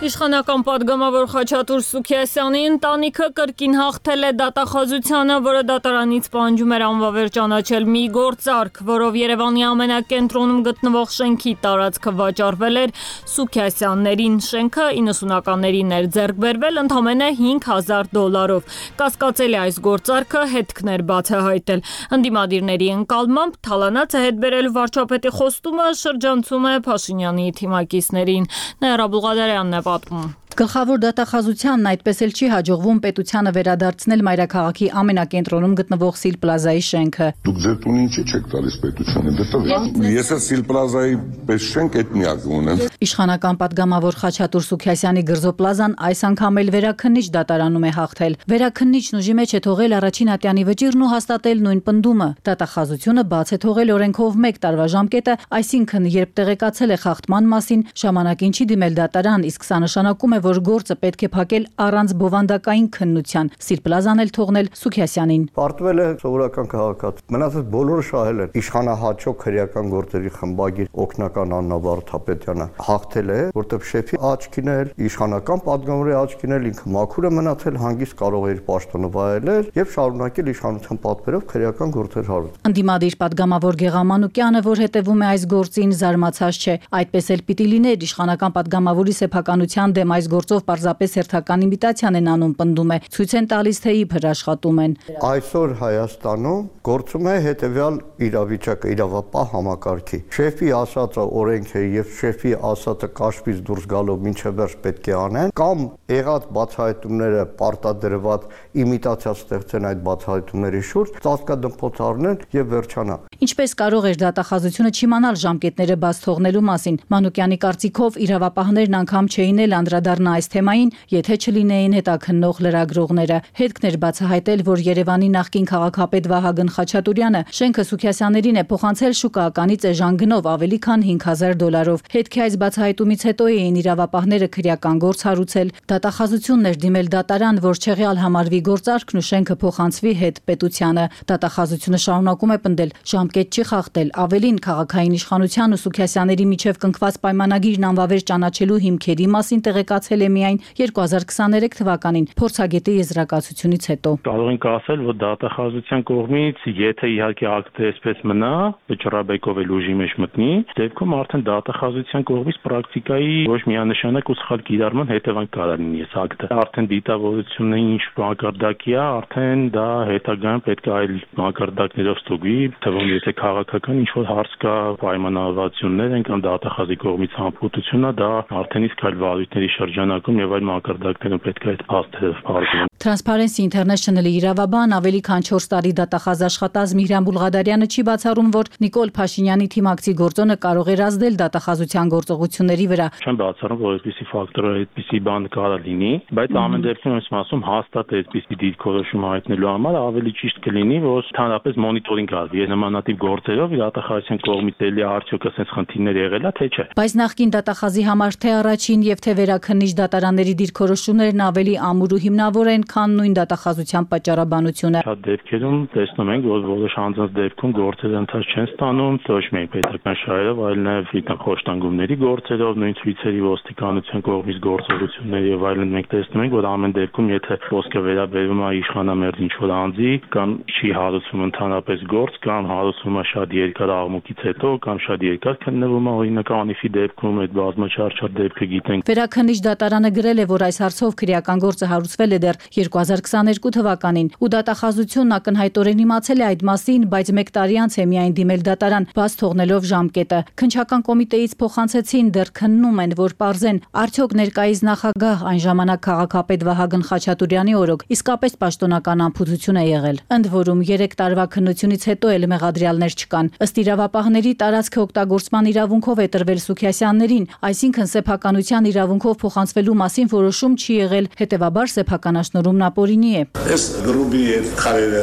Իշխանական պատգամավոր Խաչատուր Սուքիասյանի ընտանիքը կրկին հաղթել է դատախազությանը, որը դատարանից պահանջում էր անվավեր ճանաչել մի գործարք, որով Երևանի ամենակենտրոնում գտնվող շենքի տարածքը վաճառվել էր Սուքիասյաններին։ Շենքը 90-ականներին էր ձեռք բերվել ընդամենը $5,000։ Կասկածելի այս գործարքը հետքներ բացահայտել։ Ընդդիմադիրների ընկալմամբ թալանացը հետ բերել վարչապետի խոստումը շրջանցում է Փաշինյանի թիմակիցներին։ Ներա Բուղադարյանն է պատմում։ Գլխավոր դատախազությանն այդպես էլ չի հաջողվում պետությանը վերադարձնել մայրաքաղաքի ամենակենտրոնում գտնվող Սիլ Պլազայի շենքը։ Դուք ձեր տունը ինչ չեք տալիս պետությանը, դե ես Սիլ Պլազայի պես շենք այդ միակը ունեմ։ Իշխանական պատգամավոր Խաչատուր Սուքիասյանի Գրզոպլազան այս անգամ էլ վերաքննիչ դատարանում է հաղթել։ Վերաքննիչն ուժի մեջ է թողել առաջին ատյանի վճիրն ու հաստատել նույն պնդումը։ Դատախազությունը բաց է թողել օրենքով 1 տարվա ժամկետը, այսինքն երբ տեղեկացել է խախտման մասին, ժամանակին չի դիմել դատարան, իսկ սա նշանակում է, որ գործը պետք է փակել առանց բովանդակային քննության։ Սիլ Պլազան էլ թողնել Սուքիասյանին։ Պարտվել է սովորական քաղաքացի։ Մնացած բոլորը շահել են։ Իշխանահաճո քրեական գործերի խմբագիր օգնական Աննա Վարդապետյանը հաղթել է, որտեղ շեֆի աչքին էլ, իշխանական պատգամավորի աչքին էլ ինքը մաքուր է մնացել, հանգիստ կարող է իր պաշտոնը վայելել եւ շարունակել իշխանության պատվերով քրեական գործեր հարուցել։ Ընդդիմադիր պատգամավոր Գեղամ Մանուկյանը, որ հետևում է այս գործին, զարմացած չէ։ Այդպես էլ պիտի լիներ, իշխանական պատգամավորի սեփականության դեմ այս գործով պարզապես հերթական իմիտացիան են անում, պնդում է, ցույց են տալիս, թե իբր աշխատում են։ Այսօր Հայաստանում գործում է հետևյալ իրավիճակը, իրավապահ համակարգի։ Շեֆի ասածը օրենք է եւ շեֆի ասածը կաշվից դուրս գալով մինչև վերջ պետք է անեն, կամ եղած բացահայտումները պարտադրված իմիտացիա ստեղծեն այդ բացահայտումների շուրջ, ծածկադմփոց առնեն եւ վերջանա։ Ինչպես կարող էր դատախազությունը չիմանալ ժամկետները բաց թողնելու մասին։ Մանուկյանի կարծիքով իրավապահներն անգամ չէին էլ անդրադառնա այս թեմային, եթե չլինեին հետաքննող լրագրողները։ Հետքն էր բացահայտել, որ Երևանի նախկին քաղաքապետ Վահագն Խաչատուրյանը շենքը Սուքիասյաններին է փոխանցել շուկայականից էժան գնով ավելի քան $5,000։ Հետքի այս բացահայտումից հետո էին իրավապահները քրեական գործ հարուցել։ Դատախազությունն էր դիմել դատարան, որ չեղյալ համարվի գործարքն ու շենքը փոխանցվի հետ պետությանը։ Դատախազությունը շարունակում է պնդել, ժամկետ չի խախտել, ավելին քաղաքային իշխանության ու Սուքիասյանների միջև կնքված պայմանագիրն անվավեր ճանաչելու հիմքերի մասին տեղեկացել է միայն 2023 թվականին փորձագետի եզրակացությունից հետո։ Կարող ենք ասել, որ դատախազության կողմից, եթե իհարկե ակտը այսպես մնա, վճռաբեկով էլ ուժի մեջ մտնի, դեպքում արդեն դատախազության կողմից պրակտիկայի ոչ միանշանակ ու սխալ կիրառման հետևանք կարող լինի այս ակտը։ Արդեն դիտավորությունը ինչ մակարդակի է, արդեն դա հետագայում պետք է այլ մակարդակներով ստուգվի, թվում եթե քաղաքական ինչ որ հարց կա, պայմանավորվածություններ են կամ դատախազի կողմից համբուրությունը, դա արդեն իսկ այլ վարույթների շրջան շրջանակում եւ այլ մակարդակներում պետք է այդ փաստերը բարձրացնել։ Transparency International-ի իրավաբան ավելի քան 4 տարի դատախազ աշխատած Միհրան Բուլղադարյանը չի բացառում, որ Նիկոլ Փաշինյանի թիմակցի գործոնը կարող էր ազդել դատախազության գործողությունների վրա։ Չեմ բացառում, որ այդպիսի ֆակտորը, այդպիսի բան կարող լինի, բայց ամեն դեպքում ես ասում հաստատ այդպիսի դիրքորոշում հայտնելու համար ավելի ճիշտ կլինի, որ ընդհանրապես մոնիտորինգ արվի նմանատիպ գործերով դատախազության կողմից էլի արդյոք ասենց խնդիրներ եղել է, թե չէ։ Բայց նախկին դատախազի համար թե առաջին եւ թե վերաքննիչ դատարանների դիրքորոշումներն ավելի ամուր ու հիմնավոր են, քան նույն դատախազության պատճառաբանությունը։ Շատ դեպքերում տեսնում ենք, որ որոշ անձանց դեպքում գործերը ընթաց չեն ստանում, ոչ միայն պետական շահերով, այլ նաեւ խոշտանգումների գործերով, նույն ցույցերի ոստիկանության կողմից գործողություններ եւ այլն մենք տեսնում ենք, որ ամեն դեպքում եթե խոսքը վերաբերում է իշխանամերձ ինչ-որ անձի կամ չի հարուցվում ընդհանրապես գործ կամ հարուցվում է շատ երկար աղմուկից հետո կամ շատ երկար քննվում է օրինակ անիֆի դեպքում այդ բազմաչափ դեպքը գիտենք։ Վերաքննիչ դատարանը գրել է, որ այս հարցով քրեական գործը հարուցվել է դեռ 2022 թվականին ու դատախազությունն ակնհայտորեն իմացել է այդ մասին, բայց 1 տարի անց է միայն դիմել դատարան, բաց թողնելով ժամկետը։ Քննչական կոմիտեից փոխանցեցին, դեռ քննում են, որ պարզեն արդյոք ներկայիս նախագահ այն ժամանակ քաղաքապետ Վահագն Խաչատուրյանի օրոք իսկապես պաշտոնական անփութություն է եղել։ Ընդ որում 3 տարվա քննությունից հետո էլ մեղադրյալներ չկան։ Ըստ իրավապահների տարածքը օգտագործման իրավունքով է տրվել Սուքիասյաններին, այսինքն սեփականության իրավունքով փոխանցվելու մասին որոշում չի եղել, հետևաբար սեփականաշնորհումն ապօրինի է։ Այս գրուպի եւ քարերը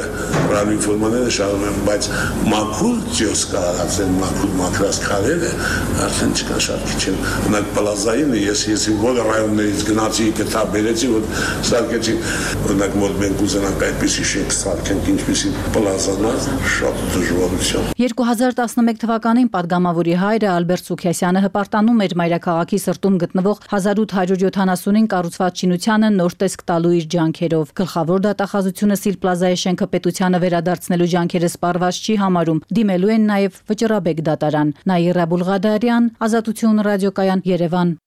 ռադիոինֆորմաները շարում են, բայց մաքուր ջոս կարածեն, մաքուր մակրած քարերը արդեն չկա շատ քիչ են։ Օրինակ պլազային ես որը ռայոններից գնացի գտա բերեցի, որ սարքեցի, օրինակ որ մենք ուզենանք այդպիսի շենք սարքենք, ինչպիսի պլազանա, շատ դժվարություն։ 2011 թվականին падգամավորի հայրը Ալբերտ Սուքիասյանը հպարտանում էր մայրաքաղաքի սրտում գտնվող 1870-ին կառուցված շինությանը նոր տեսք տալու իր ջանքերով։ Գլխավոր դատախազությունը Սիլ Պլազայի շենքը պետությանը վերադարձնելու ջանքերը սպառված չի համարում։ Դիմելու են նաև Վճռաբեկ դատարան։ Նաիրա Բուլղադարյան, Ազատություն ռադիոկայան, Երևան։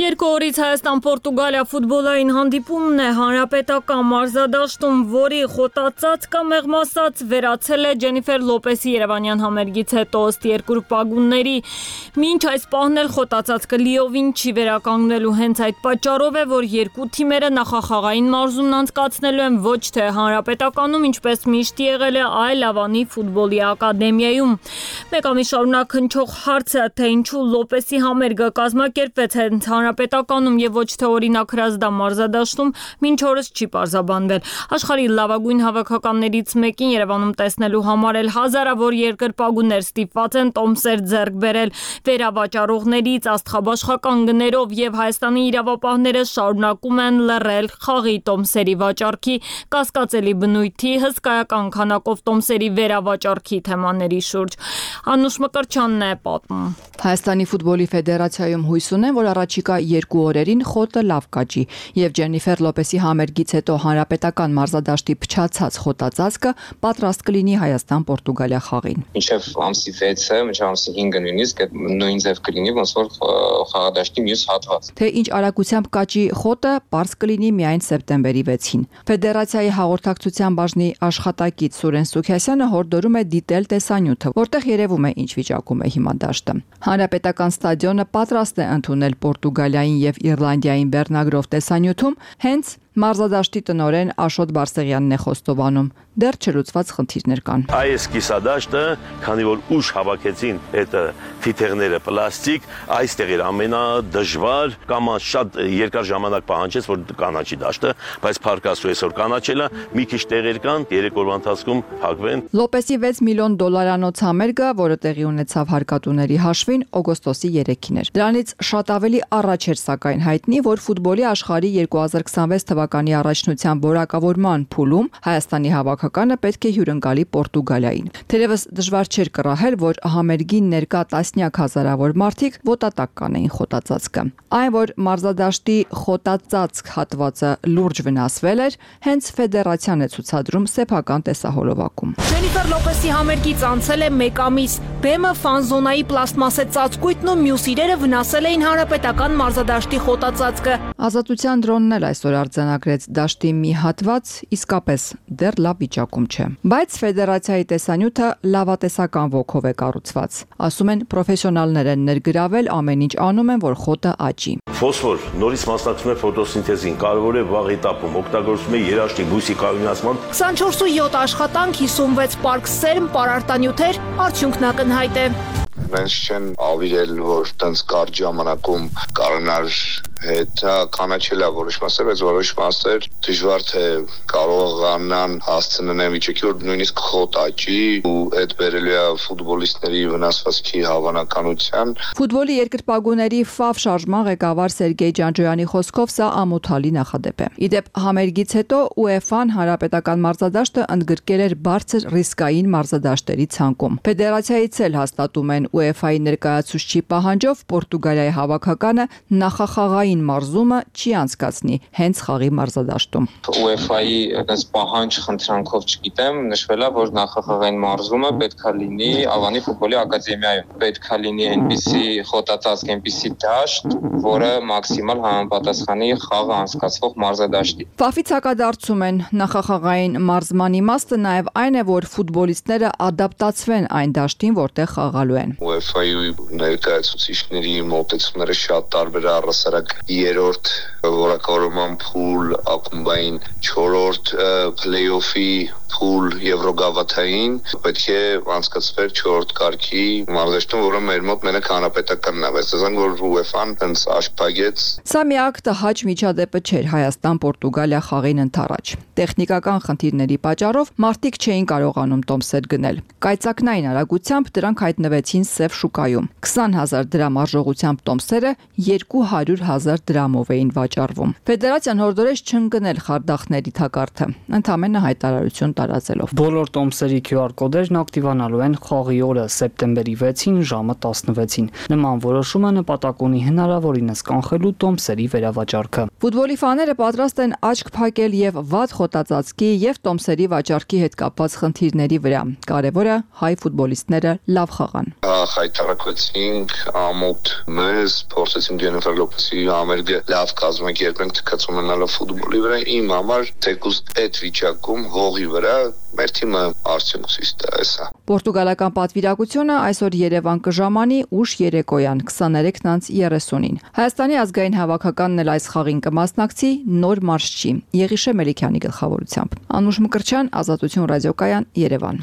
Երկու օրից Հայաստան-Պորտուգալիա ֆուտբոլային հանդիպումն է հանրապետական մարզադաշտում, որի խոտածածկը մեղմասած վերացել է Ջենիֆեր Լոպեսի երևանյան համերգից հետո ըստ երկրպագունների։ Մինչ այս պահն էլ խոտածածկը լիովին չի վերականգնելու, հենց այդ պատճառով է, որ երկու թիմերը նախախաղային մարզումն անցկացնելու են ոչ թե հանրապետականում, ինչպես միշտ եղել է, այլ Ավանի ֆուտբոլի ակադեմիայում։ Մեկ ամիս շարունակ հնչող հարցը, թե ինչու Լոպեսի համերգը կազմակերպվեց հենց հանրապետականում եւ ոչ թե օրինակ հրազդան մարզադաշտում, մինչ օրս չի պարզաբանվել։ Աշխարհի լավագույն հավաքականներից մեկին Երևանում տեսնելու համար էլ հազարավոր երկրպագուներ ստիպված են տոմսեր ձեռք բերել վերավաճառողներից աստղաբաշխական գներով եւ Հայաստանի իրավապահները շարունակում են լռել խաղի տոմսերի վաճառքի, կասկածելի բնույթի, հսկայական քանակով տոմսերի վերավաճառքի թեմաների շուրջ։ Անուշ Մկրտչյանն է պատմում։ Հայաստանի ֆուտբոլի ֆեդերացիայում հույս ունեն, որ առաջիկա 2 օրերին խոտը լավ կաճի եւ Ջենիֆեր Լոպեսի համերգից հետո հանրապետական մարզադաշտի փչացած խոտածածկը պատրաստ կլինի Հայաստան-Պորտուգալիա խաղին։ Մինչև ամսի 6-ը, մինչև ամսի 5-ը նույնիսկ նույն ձև կլինի, ոնց որ խաղադաշտի մյուս հատված։ Թե ինչ արագությամբ կաճի խոտը, պարզ կլինի միայն սեպտեմբերի 6-ին։ Ֆեդերացիայի հաղորդակցության բաժնի աշխատակից Սուրեն Սուքիասյանը հորդորում է դիտել տեսանյութը, որտեղ երևում է ինչ վիճակում է հիմա դաշտը։ Հանրապետական ստադիոնը պատրաստ է ընդունել Պորտուգալիային եւ Իռլանդիային բեռնագրով տեսանյութում, հենց մարզադաշտի տնօրեն Աշոտ Բարսեղյանն է խոստովանում։ Դեռ չլուծված խնդիրներ կան։ Այս կիսադաշտը, քանի որ ուշ հավաքեցին այդ թիթեղները պլաստիկ, այստեղ էր ամենադժվար կամ շատ երկար ժամանակ պահանջեց, որ կանաչի դաշտը, բայց փառքաստու այսօր կանաչելա, մի քիչ տեղեր կան, 3 օրվա ընթացքում փակվեն։ Լոպեսի $6 միլիոն համերգը, որը տեղի ունեցավ հարկատուների հաշվին, օգոստոսի 3-ին էր։ Դրանից շատ ավելի առաջ էր սակայն հայտնի, որ ֆուտբոլի աշխարհի 2026 թվականի առաջնության որակավորման փուլում Հայաստանի հավաքականը պետք է հյուրընկալի Պորտուգալիային։ Թերևս դժվար չէր կռահել, որ համերգին ներկա տասնյակ հազարավոր մարդիկ ոտատակ կանեին խոտածածկը։ Այն, որ մարզադաշտի խոտածածկ հատվածը լուրջ վնասվել էր, հենց ֆեդերացիան է ցուցադրում սեփական տեսահոլովակում։ Ջենիֆեր Լոպեսի համերգից անցել է 1 ամիս։ Բեմը, ֆանզոնայի պլաստմասե ծածկույթն ու մյուս իրերը վնասել էին հանրապետական մարզադաշտի խոտածածկը։ Ազատության դրոնն էլ այսօր արձանագրել նշանագրեց դաշտի մի հատված իսկապես դեռ լավ վիճակում չէ։ Բայց ֆեդերացիայի տեսանյութը լավատեսական ոգով է կառուցված։ Ասում են պրոֆեսիոնալներ են ներգրավել, ամեն ինչ անում են, որ խոտը աճի։ Ֆոսֆոր նորից մասնակցում է ֆոտոսինթեզին, կարևոր է վաղ этаպում, օգտագործում է երաշտի բույսի կայունացման։ 24/7 աշխատանք, 56 պարկ սերմ, պարարտանյութեր, արդյունքն ակնհայտ է։ Մենք չեն ավիրել, որ տենց կարճ ժամանակում կարողանար հետ կանաչելա որոշ մասեր, բայց որոշ մասեր դժվար թե կարողանան հասցնեն այն վիճակի, որ նույնիսկ խոտ աճի ու այդ բերելու է ֆուտբոլիստների վնասվածքի հավանականության։ Ֆուտբոլի երկրպագուների FAF շարժման ղեկավար Սերգեյ Ջանջոյանի խոսքով սա ամոթալի նախադեպ է։ Իդեպ համերգից հետո UEFA-ն հանրապետական մարզադաշտը ընդգրկել էր բարձր ռիսկային մարզադաշտերի ցանկում։ Ֆեդերացիայից էլ հաստատում են UEFA-ի ներկայացուցչի պահանջով Պորտուգալիայի հավաքականը նախախաղային մարզումը չի անցկացնի հենց խաղի մարզադաշտում։ UEFA-ի այս պահանջ խնդրանքով չգիտեմ, նշվել է, որ նախախաղային մարզումը պետքա լինի Ավանի ֆուտբոլի ակադեմիայում։ Պետքա լինի այնպիսի խոտածածկ, այնպիսի դաշտ, որը մաքսիմալ համապատասխանի խաղը անցկացվող մարզադաշտի։ FAF-ից հակադարձում են նախախաղային մարզման իմաստը նաև այն է, որ ֆուտբոլիստները ադապտացվեն այն դաշտին, որտեղ խաղալու են։ UEFA-ի ներկայացուցիչների մոտեցումները շատ տարբեր է, առասարակ 3-րդ որակավորման փուլ, ակումբային 4-րդ փլեյօֆի փուլ եվրոգավաթային պետք է անցկացվեր 4-րդ կարգի մարզաշտում, որը մեր մոտ մենակ հանրապետականն է, բայց ասենք որ UEFA-ն հենց աշփագեց։ Սա միակ տհաճ միջադեպը չէր Հայաստան-Պորտուգալիա խաղին ընթരാճ։ Տեխնիկական խնդիրների պատճառով մարդիկ չէին կարողանում տոմսեր գնել։ Կայծակնային արագությամբ դրանք հայտնվեցին սև շուկայում։ 20,000 դրամ արժողությամբ տոմսերը 200,000 դրամով էին վաճառվում։ Ֆեդերացիան հորդորեց չընկնել խարդախների թակարդը, ընդամենը հայտարարություն տարածելով։ Բոլոր տոմսերի QR կոդերն ակտիվանալու են խաղի օրը սեպտեմբերի 6-ին ժամը 16-ին։ Նման որոշումը նպատակ ունի հնարավորինս կանխելու տոմսերի վերավաճառքը։ Ֆուտբոլի ֆաները պատրաստ են աչք փակել եւ վատ խոտածածկի եւ տոմսերի վաճառքի հետ կապված խնդիրների վրա։ Կարևորը հայ ֆուտբոլիստները լավ խաղան։ Հայտարարեցինք ամոթ մեզ, փորձեցինք Ջենիֆեր Լոպեսի համերգը լավ կազմակերպենք թքած ունենալով ֆուտբոլի վրա։ Իմ համար թեկուզ այդ վիճակում հողի վրա մեր թիմը արդյունք ցույց տալիս է։ Պորտուգալական պատվիրակությունը այսօր Երևան կժամանի ուշ երեկոյան 23:30-ին։ Հայաստանի ազգային հավաքականն էլ այս խաղին կմասնակցի նոր մարշչի Եղիշե Մելիքյանի գլխավորությամբ։ Անուշ Մկրտչյան, Ազատություն ռադիոկայան, Երևան։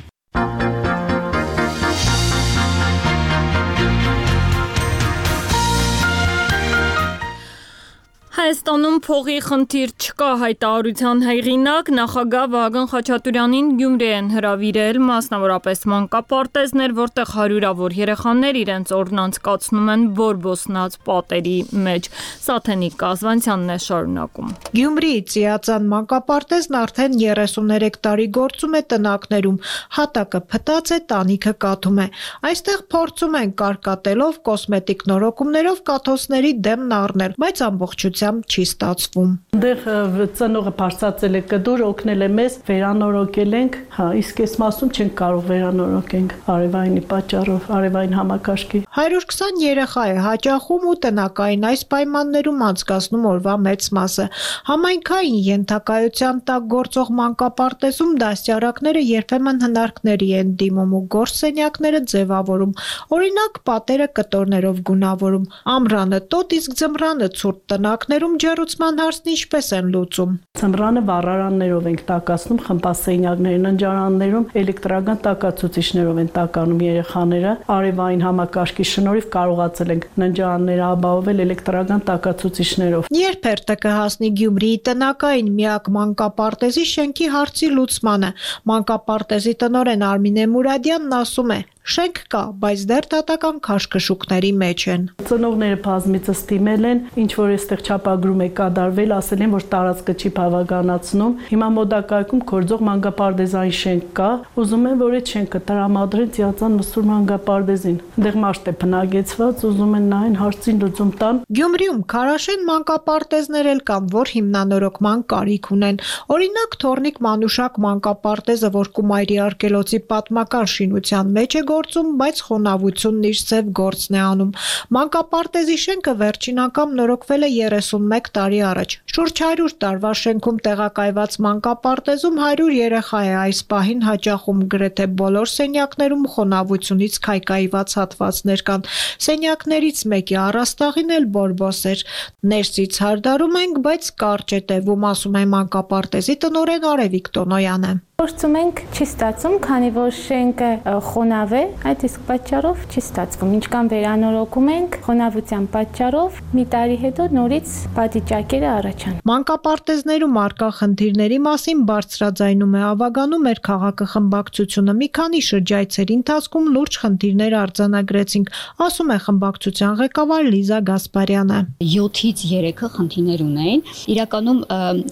Հայաստանում փողի խնդիր չկա հայտարարության հեղինակ նախագահ Վահագն Խաչատուրյանին Գյումրի են հրավիրել մասնավորապես մանկապարտեզներ, որտեղ հարյուրավոր երեխաներ իրենց օրն անցկացնում են բորբոսնած պատերի մեջ։ Սաթենիկ Կազվանցյանն է շարունակում։ Գյումրիի Ծիածան մանկապարտեզն արդեն 33 տարի գործում է տնակներում, հատակը փտած է, տանիքը կաթում է։ Այստեղ փորձում են կարկատելով, կոսմետիկ նորոգումներով կաթոցների դեմն առնել, բայց ամբողջությամբ չի ստացվում։ Այնտեղ ծնողը բարձրացել է կդուր, օգնել է մեզ, վերանորոգել ենք, իսկ այս մասում չենք կարող վերանորոգենք արևայինի պատճառով, արևային համակարգի։ 120 երեխա է հաճախում ու տնակային այս պայմաններում անցկացնում օրվա մեծ մասը։ Համայնքային ենթակայության տակ գործող մանկապարտեզում դաստիարակները երբեմն հնարքների են դիմում ու գործսենյակները ձևավորում։ Օրինակ պատերը կտորներով գունավորում, ամռանը տոտ, իսկ ձմռանը ցուրտ տնակներում ջեռուցման հարցն ինչպես են լուծում։ Ձմռանը վառարաններով ենք տակացնում, խմբասենյակներին, ընջարաններում էլեկտրական տակացուցիչներով են տականում երեխաները։ Արևային համակարգի շնորհիվ կարողացել ենք ընջարանները ապահովել էլեկտրական տակացուցիչներով։ Երբ հերթը կհասնի Գյումրիի տնակային միակ մանկապարտեզի շենքի հարցի լուծմանը, մանկապարտեզի տնօրեն Արմինե Մուրադյանն ասում է. շենք կա, բայց դեռ դատական քաշքշուկների մեջ են։ Ծնողները բազմիցս դիմել են, ինչ որ այստեղ չափագրում է կատարվել, ասել են, որ տարածքը չի բավականացնում։ Հիմա մոդակայքում գործող մանկապարտեզային շենք կա, ուզում են, որ այդ շենքը տրամադրեն Ծիածան Մսուր մանկապարտեզին։ Այնտեղ մարդ է բնակեցված, ուզում են նայեն հարցին լուծում տան։ Գյումրիում քարաշեն մանկապարտեզներ էլ կան, որ հիմնանորոգման կարիք ունեն։ Օրինակ Թորնիկ Մանուշակ մանկապարտեզը, որ Կումայրի արգելոցի պատմական շինության մեջ է գործում, բայց խոնավությունն իր ձև գործն է անում։ Մանկապարտեզի շենքը վերջին անգամ նորոգվել է 31 տարի առաջ։ Շուրջ 100 տարվա շենքում տեղակայված մանկապարտեզում 100 երեխա է այս պահին հաճախում, գրեթե բոլոր սենյակներում խոնավությունից քայքայված հատվածներ կան։ Սենյակներից մեկի առաստաղին էլ բորբոս էր։ Ներսից հարդարում ենք, բայց կարճ է տևում, ասում է մանկապարտեզի տնօրեն Արևիկ Տոնոյանը։ Փորձում ենք չի ստացվում, քանի որ շենքը խոնավ է, այդ իսկ պատճառով չի ստացվում։ Ինչքան վերանորոգում ենք, խոնավության պատճառով մի տարի հետո նորից պատիճակերը առաջանում։ Մանկապարտեզներում արկա խնդիրների մասին բարձրաձայնում է Ավագանու մեր քաղաքը խմբակցությունը։ Մի քանի շրջայցերի ընթացքում լուրջ խնդիրներ արձանագրեցինք, ասում է խմբակցության ղեկավար Լիզա Գասպարյանը։ 7-ից 3-ը խնդիրներ ունեն։ Իրականում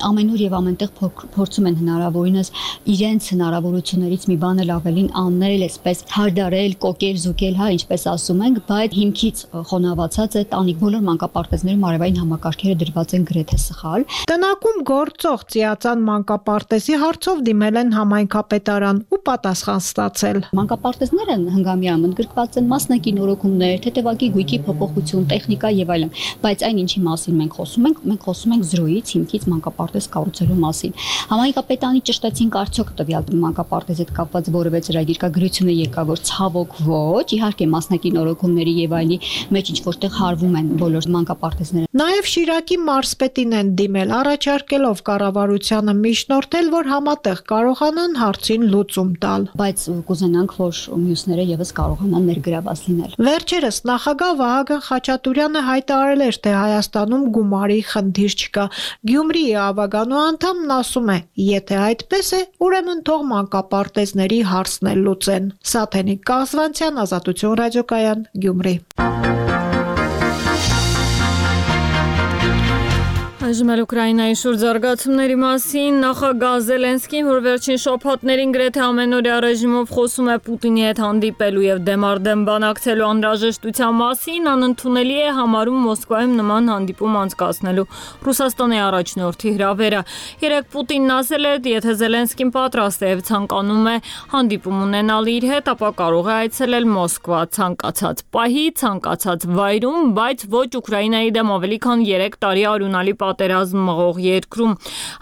ամենուր եւ ամենտեղ փորձում են հնարավորինս իրենց հնարավորություններից մի բան էլ ավելին անել, այսպես հարդարել, կոկել, զուգել, հա, ինչպես ասում ենք, բայց հիմքից խոնավացած է տանիք բոլոր մանկապարտեզներում արևային համակարգերը դրված են գրեթե սխալ։ Տնակում գործող Ծիածան մանկապարտեզի հարցով դիմել են համայնքապետարան ու պատասխան ստացել։ Մանկապարտեզները հնգամյա ընդգրկված են մասնակի նորոգումներ, թեթևակի գույքի փոփոխություն, տեխնիկա եւ այլն, բայց այն ինչի մասին մենք խոսում ենք զրոյից հիմքից մանկապարտեզ կառուցելու մասին։ Համայնքապետարանի ճշտեցին արդյոք տվյալ մանկապարտեզի հետ կապված որևէ ծրագիր կա, գրությունը եկա, որ ցավոք ոչ, իհարկե մասնակի նորոգումների եւ այլի մեջ ինչ որտեղ հարվում են բոլոր մանկապարտեզները։ Նաեւ Շիրակի մարզպետին են դիմել, առաջարկելով կառավարությանը միջնորդել, որ համատեղ կարողանան հարցին լուծում տալ։ Բայց կուզենանք, որ մյուսները եւս կարողանան ներգրաված լինել։ Վերջերս նախագահ Վահագն Խաչատուրյանը հայտարարել էր, թե Հայաստանում գումարի խնդիր չկա։ Գյումրիի Ավագանու անդամն ասում է, եթե այդպես է, ուրեմն թող մանկապարտեզների հարցն էլ լուծեն։ Սաթենիկ Կազվանցյան, Ազատություն ռադիոկայան, Գյումրի։ Այժմ էլ Ուկրաինայի շուրջ զարգացումների մասին նախագահ Զելենսկին, որ վերջին շաբաթներին գրեթե ամենօրյա ռեժիմով խոսում է Պուտինի հետ հանդիպելու եւ դեմարդեմ բանակցելու անհրաժեշտության մասին, անընդունելի է համարում Մոսկվայում նման հանդիպում անցկացնելու Ռուսաստանի առաջնորդի հրավերը։ Երեկ Պուտինն ասել է, եթե Զելենսկին պատրաստ է եւ ցանկանում է հանդիպում ունենալ իր հետ, ապա կարող է այցելել Մոսկվա ցանկացած պահի, ցանկացած վայրում, բայց ոչ Ուկրաինայի դեմ ավելի քան 3 տարի արյունալի պատերազմ մղող երկրում,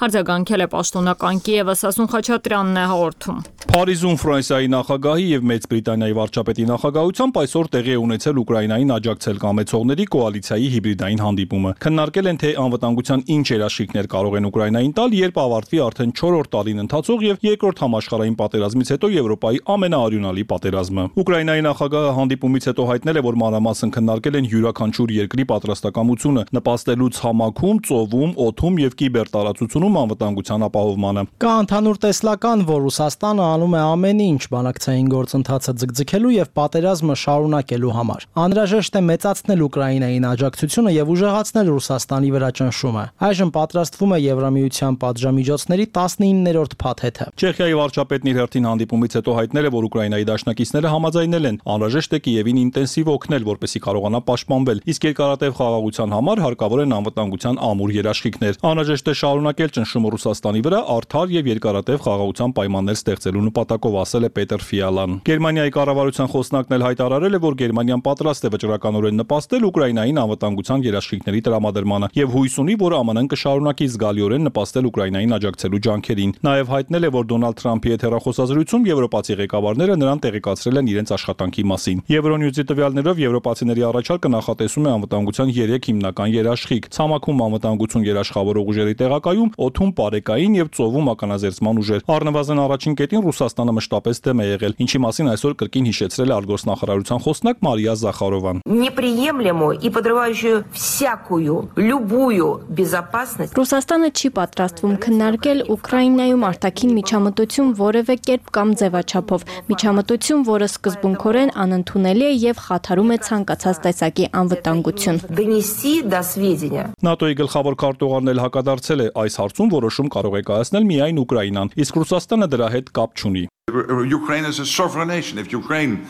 արձագանքել է պաշտոնական Կիևը, Սասուն Խաչատրյանն է հաղորդում։ Փարիզում Ֆրանսիայի նախագահի եւ Մեծ Բրիտանիայի վարչապետի նախագահությամբ այսօր տեղի ունեցել Ուկրաինային աջակցել կամեցողների կոալիցիայի հիբրիդային հանդիպումը։ Քննարկել են, թե անվտանգության ինչ երաշխիքներ կարող են Ուկրաինային տալ, երբ ավարտվի արդեն 4-րդ տարին ընթացող եւ երկրորդ համաշխարհային պատերազմից հետո Եվրոպայի ամենաարյունալի պատերազմը։ Ուկրաինայի նախագահը հանդիպումից հետո հայտնել է, որ մանրամասն քննարկել են յուրաքանչյուր երկրի պատրաստակամությունը նպաստելուց համակում, ծովում, օդում եւ կիբերտարածությունում անվտանգության ապահովմանը։ Կա ընդհանուր տեսլական, որ Ռուսաստանը անում է ամեն ինչ բանակցային գործընթացը ձգձգելու եւ պատերազմը շարունակելու համար։ Անհրաժեշտ է մեծացնել Ուկրաինային աջակցությունը եւ ուժեղացնել Ռուսաստանի վրա ճնշումը։ Այժմ պատրաստվում է Եվրամիության պատժամիջոցների 19-րդ փաթեթը։ Չեխիայի վարչապետն իր հերթին հանդիպումից հետո հայտնել է, որ Ուկրաինայի դաշնակիցները համաձայնել են անհրաժեշտ է Կիևին ինտենսիվ օգնել, որպեսզի կարողանա պաշտպանվել, իսկ երկարատև խաղաղության համար հարկավոր են անվտանգության ամուր երաշխիքներ։ Անհրաժեշտ է շարունակել ճնշումը Ռուսաստանի վրա արդար եւ երկարատև խաղաղության պայմաններ ստեղծելու նպատակով, ասել է Պետր Ֆիալան։ Գերմանիայի կառավարության խոսնակն էլ հայտարարել է, որ Գերմանիան պատրաստ է վճռականորեն նպաստել Ուկրաինային անվտանգության երաշխիքների տրամադրմանը եւ հույս ունի, որ ԱՄՆ-ն կշարունակի զգալիորեն նպաստել Ուկրաինային աջակցելու ջանքերին։ Նաեւ հայտնել է, որ Դոնալդ Թրամփի հետ հեռախոսազրույցում եվրոպացի ղեկավարները նրան տեղեկացրել են իրենց աշխատանքի մասին։ Եվրոնյուզի տվյալներով եվրոպացիների առաջարկը նախատեսում է անվտանգության 3 հիմնական երաշխիք՝ ցամաքում անվտանգություն երաշխավորող ուժերի տեղակայում, օդում պարեկային եւ ծովում ականազերծման ուժեր։ Առնվազն առաջին կետին Ռուսաստանը մշտապես դեմ է եղել, ինչի մասին այսօր կրկին հիշեցրել է արտգործնախարարության խոսնակ Մարիա Զախարովան։ Неприемлемую и подрывающую всякую, любую безопасность. Ռուսաստանը չի պատրաստվում քննարկել Ուկրաինայում արտաքին միջամտություն որևէ կերպ կամ ձևաչափով, միջամտություն, որը սկզբունքորեն անընդունելի է եւ խաթարում է ցանկացած տեսակի անվտանգություն։ Донести до сведения. ՆԱՏՕ-ի գլխավոր քարտուղարն էլ հակադարձել է այս հարցում որոշում կարող է կայացնել միայն Ուկրաինան, իսկ Ռուսաստանը դրա հետ կապ չունի։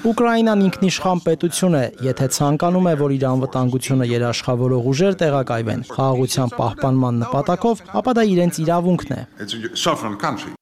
Ուկրաինան ինքնիշխան պետություն է, եթե ցանկանում է, որ իր անվտանգությունը երաշխավորող ուժեր տեղակայվեն խաղաղության պահպանման նպատակով, ապա դա իրենց իրավունքն է։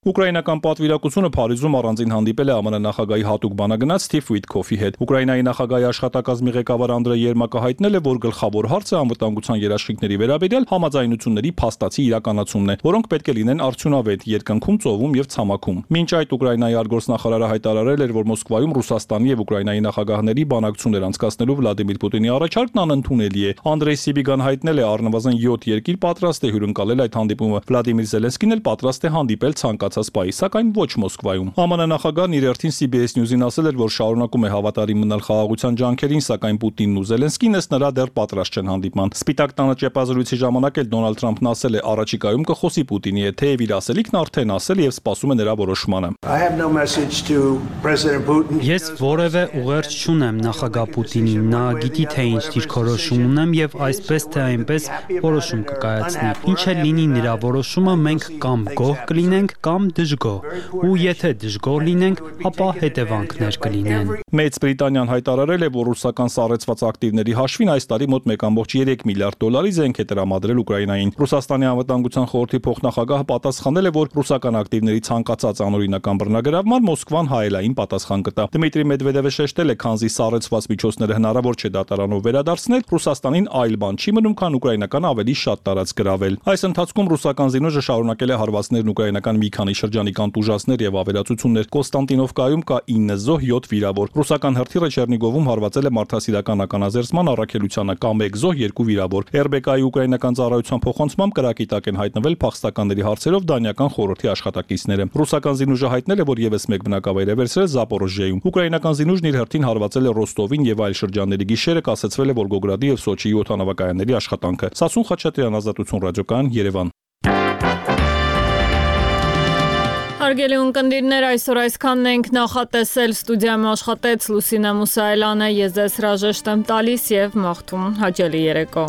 Ուկրաինական պատվիրակությունը Փարիզում առանձին հանդիպել է ԱՄՆ նախագահի հատուկ բանագնաց Սթիվ Ուիթքոֆի հետ։ Ուկրաինայի նախագահի աշխատակազմի ղեկավար Անդրեյ Երմակը հայտնել է, որ գլխավոր հարցը անվտանգության երաշխիքների վերաբերյալ համաձայնությունների փաստացի իրականացումն է, որոնք պետք է լինեն արդյունավետ երկնքում, ծովում եւ ցամաքում։ Մինչ այդ Ուկրաինայի արտգործնախարարը հայտարարել էր, որ Մոսկվայում Ռուսաստանի եւ Ուկրաինայի նախագահների բանակցություններ անցկացնելու Վլադիմիր Պուտինի առաջարկն անընդունելի է։ Անդրեյ Սիբիգան հայտնել է, առնվազն 7 երկիր պատրաստ է հյուրընկալել այդ հանդիպումը։ Վլադիմիր Զելենսկին էլ պատրաստ է հանդիպել ցանկացած պահի, սակայն ոչ Մոսկվայում։ ԱՄՆ նախագահն իր հերթին CBS News-ին ասել էր, որ շարունակում է հավատարիմ մնալ խաղաղության ջանքերին, սակայն Պուտինն ու Զելենսկին ըստ նրա դեռ պատրաստ չեն հանդիպման։ Սպիտակ տանը ճեպազրույցի ժամանակ էլ Դոնալդ Թրամփն ասել է, առաջիկայում կխոսի Պուտինի հետ, թեև իր ասելիքն արդեն ասել եւ սպասում է նրա որոշմանը։ Ես որևէ ուղերձ չունեմ նախագահ Պուտինին, նա գիտի թե ինչ դիրքորոշում ունեմ եւ այսպես թե այնպես որոշում կկայացնի։ Ինչ էլ լինի նրա որոշումը, մենք կամ գոհ կլինենք, կամ դժգոհ։ Ու եթե դժգոհ լինենք, ապա հետևանքներ կլինեն։ Մեծ Բրիտանիան հայտարարել է, որ ռուսական սառեցված ակտիվների հաշվին այս տարի մոտ 1.3 միլիարդ դոլարի զենք է տրամադրել Ուկրաինային։ Ռուսաստանի անվտանգության խորհրդի փոխնախագահը պատասխանել է, որ ռուսական ակտիվների ցանկացած անօրինական բռնագրավման Մոսկվան հայելային պատասխան կտա։ Դմիտրի Մեդվեդևը շեշտել է, քանզի սառեցված միջոցները հնարավոր չէ դատարանով վերադարձնել, Ռուսաստանին այլ բան չի մնում, քան ուկրաինական ավելի շատ տարածք գրավել։ Այս ընթացքում ռուսական զինուժը շարունակել է հարվածներն ուկրաինական մի քանի շրջանի կանտուժացներ եւ ավերածություններ։ Կոստանտինովկայում կա 9 զոհ, 7 վիրավոր։ Ռուսական հրթիռը Չեռնիգովում հարվածել է մարդասիրական ականազերծման առաքելությանը, կա 1 զոհ, 2 վիրավոր։ RBK-ի ուկրաինական ծառայության փոխանցմամբ կրակի տակ են հայտնվել փախստականների հարցերով դանիական խորհրդի աշխատակիցները։ Ռուսական զինուժը հայտնել է, որ եւս մեկ բնակավայր է վերցրել Զապորոժիայում։ Ուկրաինական զինուժն իր հերթին հարվածել է Ռոստովին եւ այլ շրջանների գիշերը կասեցվել է Վոլգոգրադի եւ Սոչիի օդանավակայանների աշխատանքը։ Սասուն Խաչատրյան, Ազատություն ռադիոկայան, Երևան։ Հարգելի ունկնդիրներ, այսօր այսքանն ենք նախատեսել, ստուդիայում աշխատեց Լուսինե Մուսայելյանը, ես ձեզ հրաժեշտ եմ տալիս եւ մաղթում հաճելի երեկո։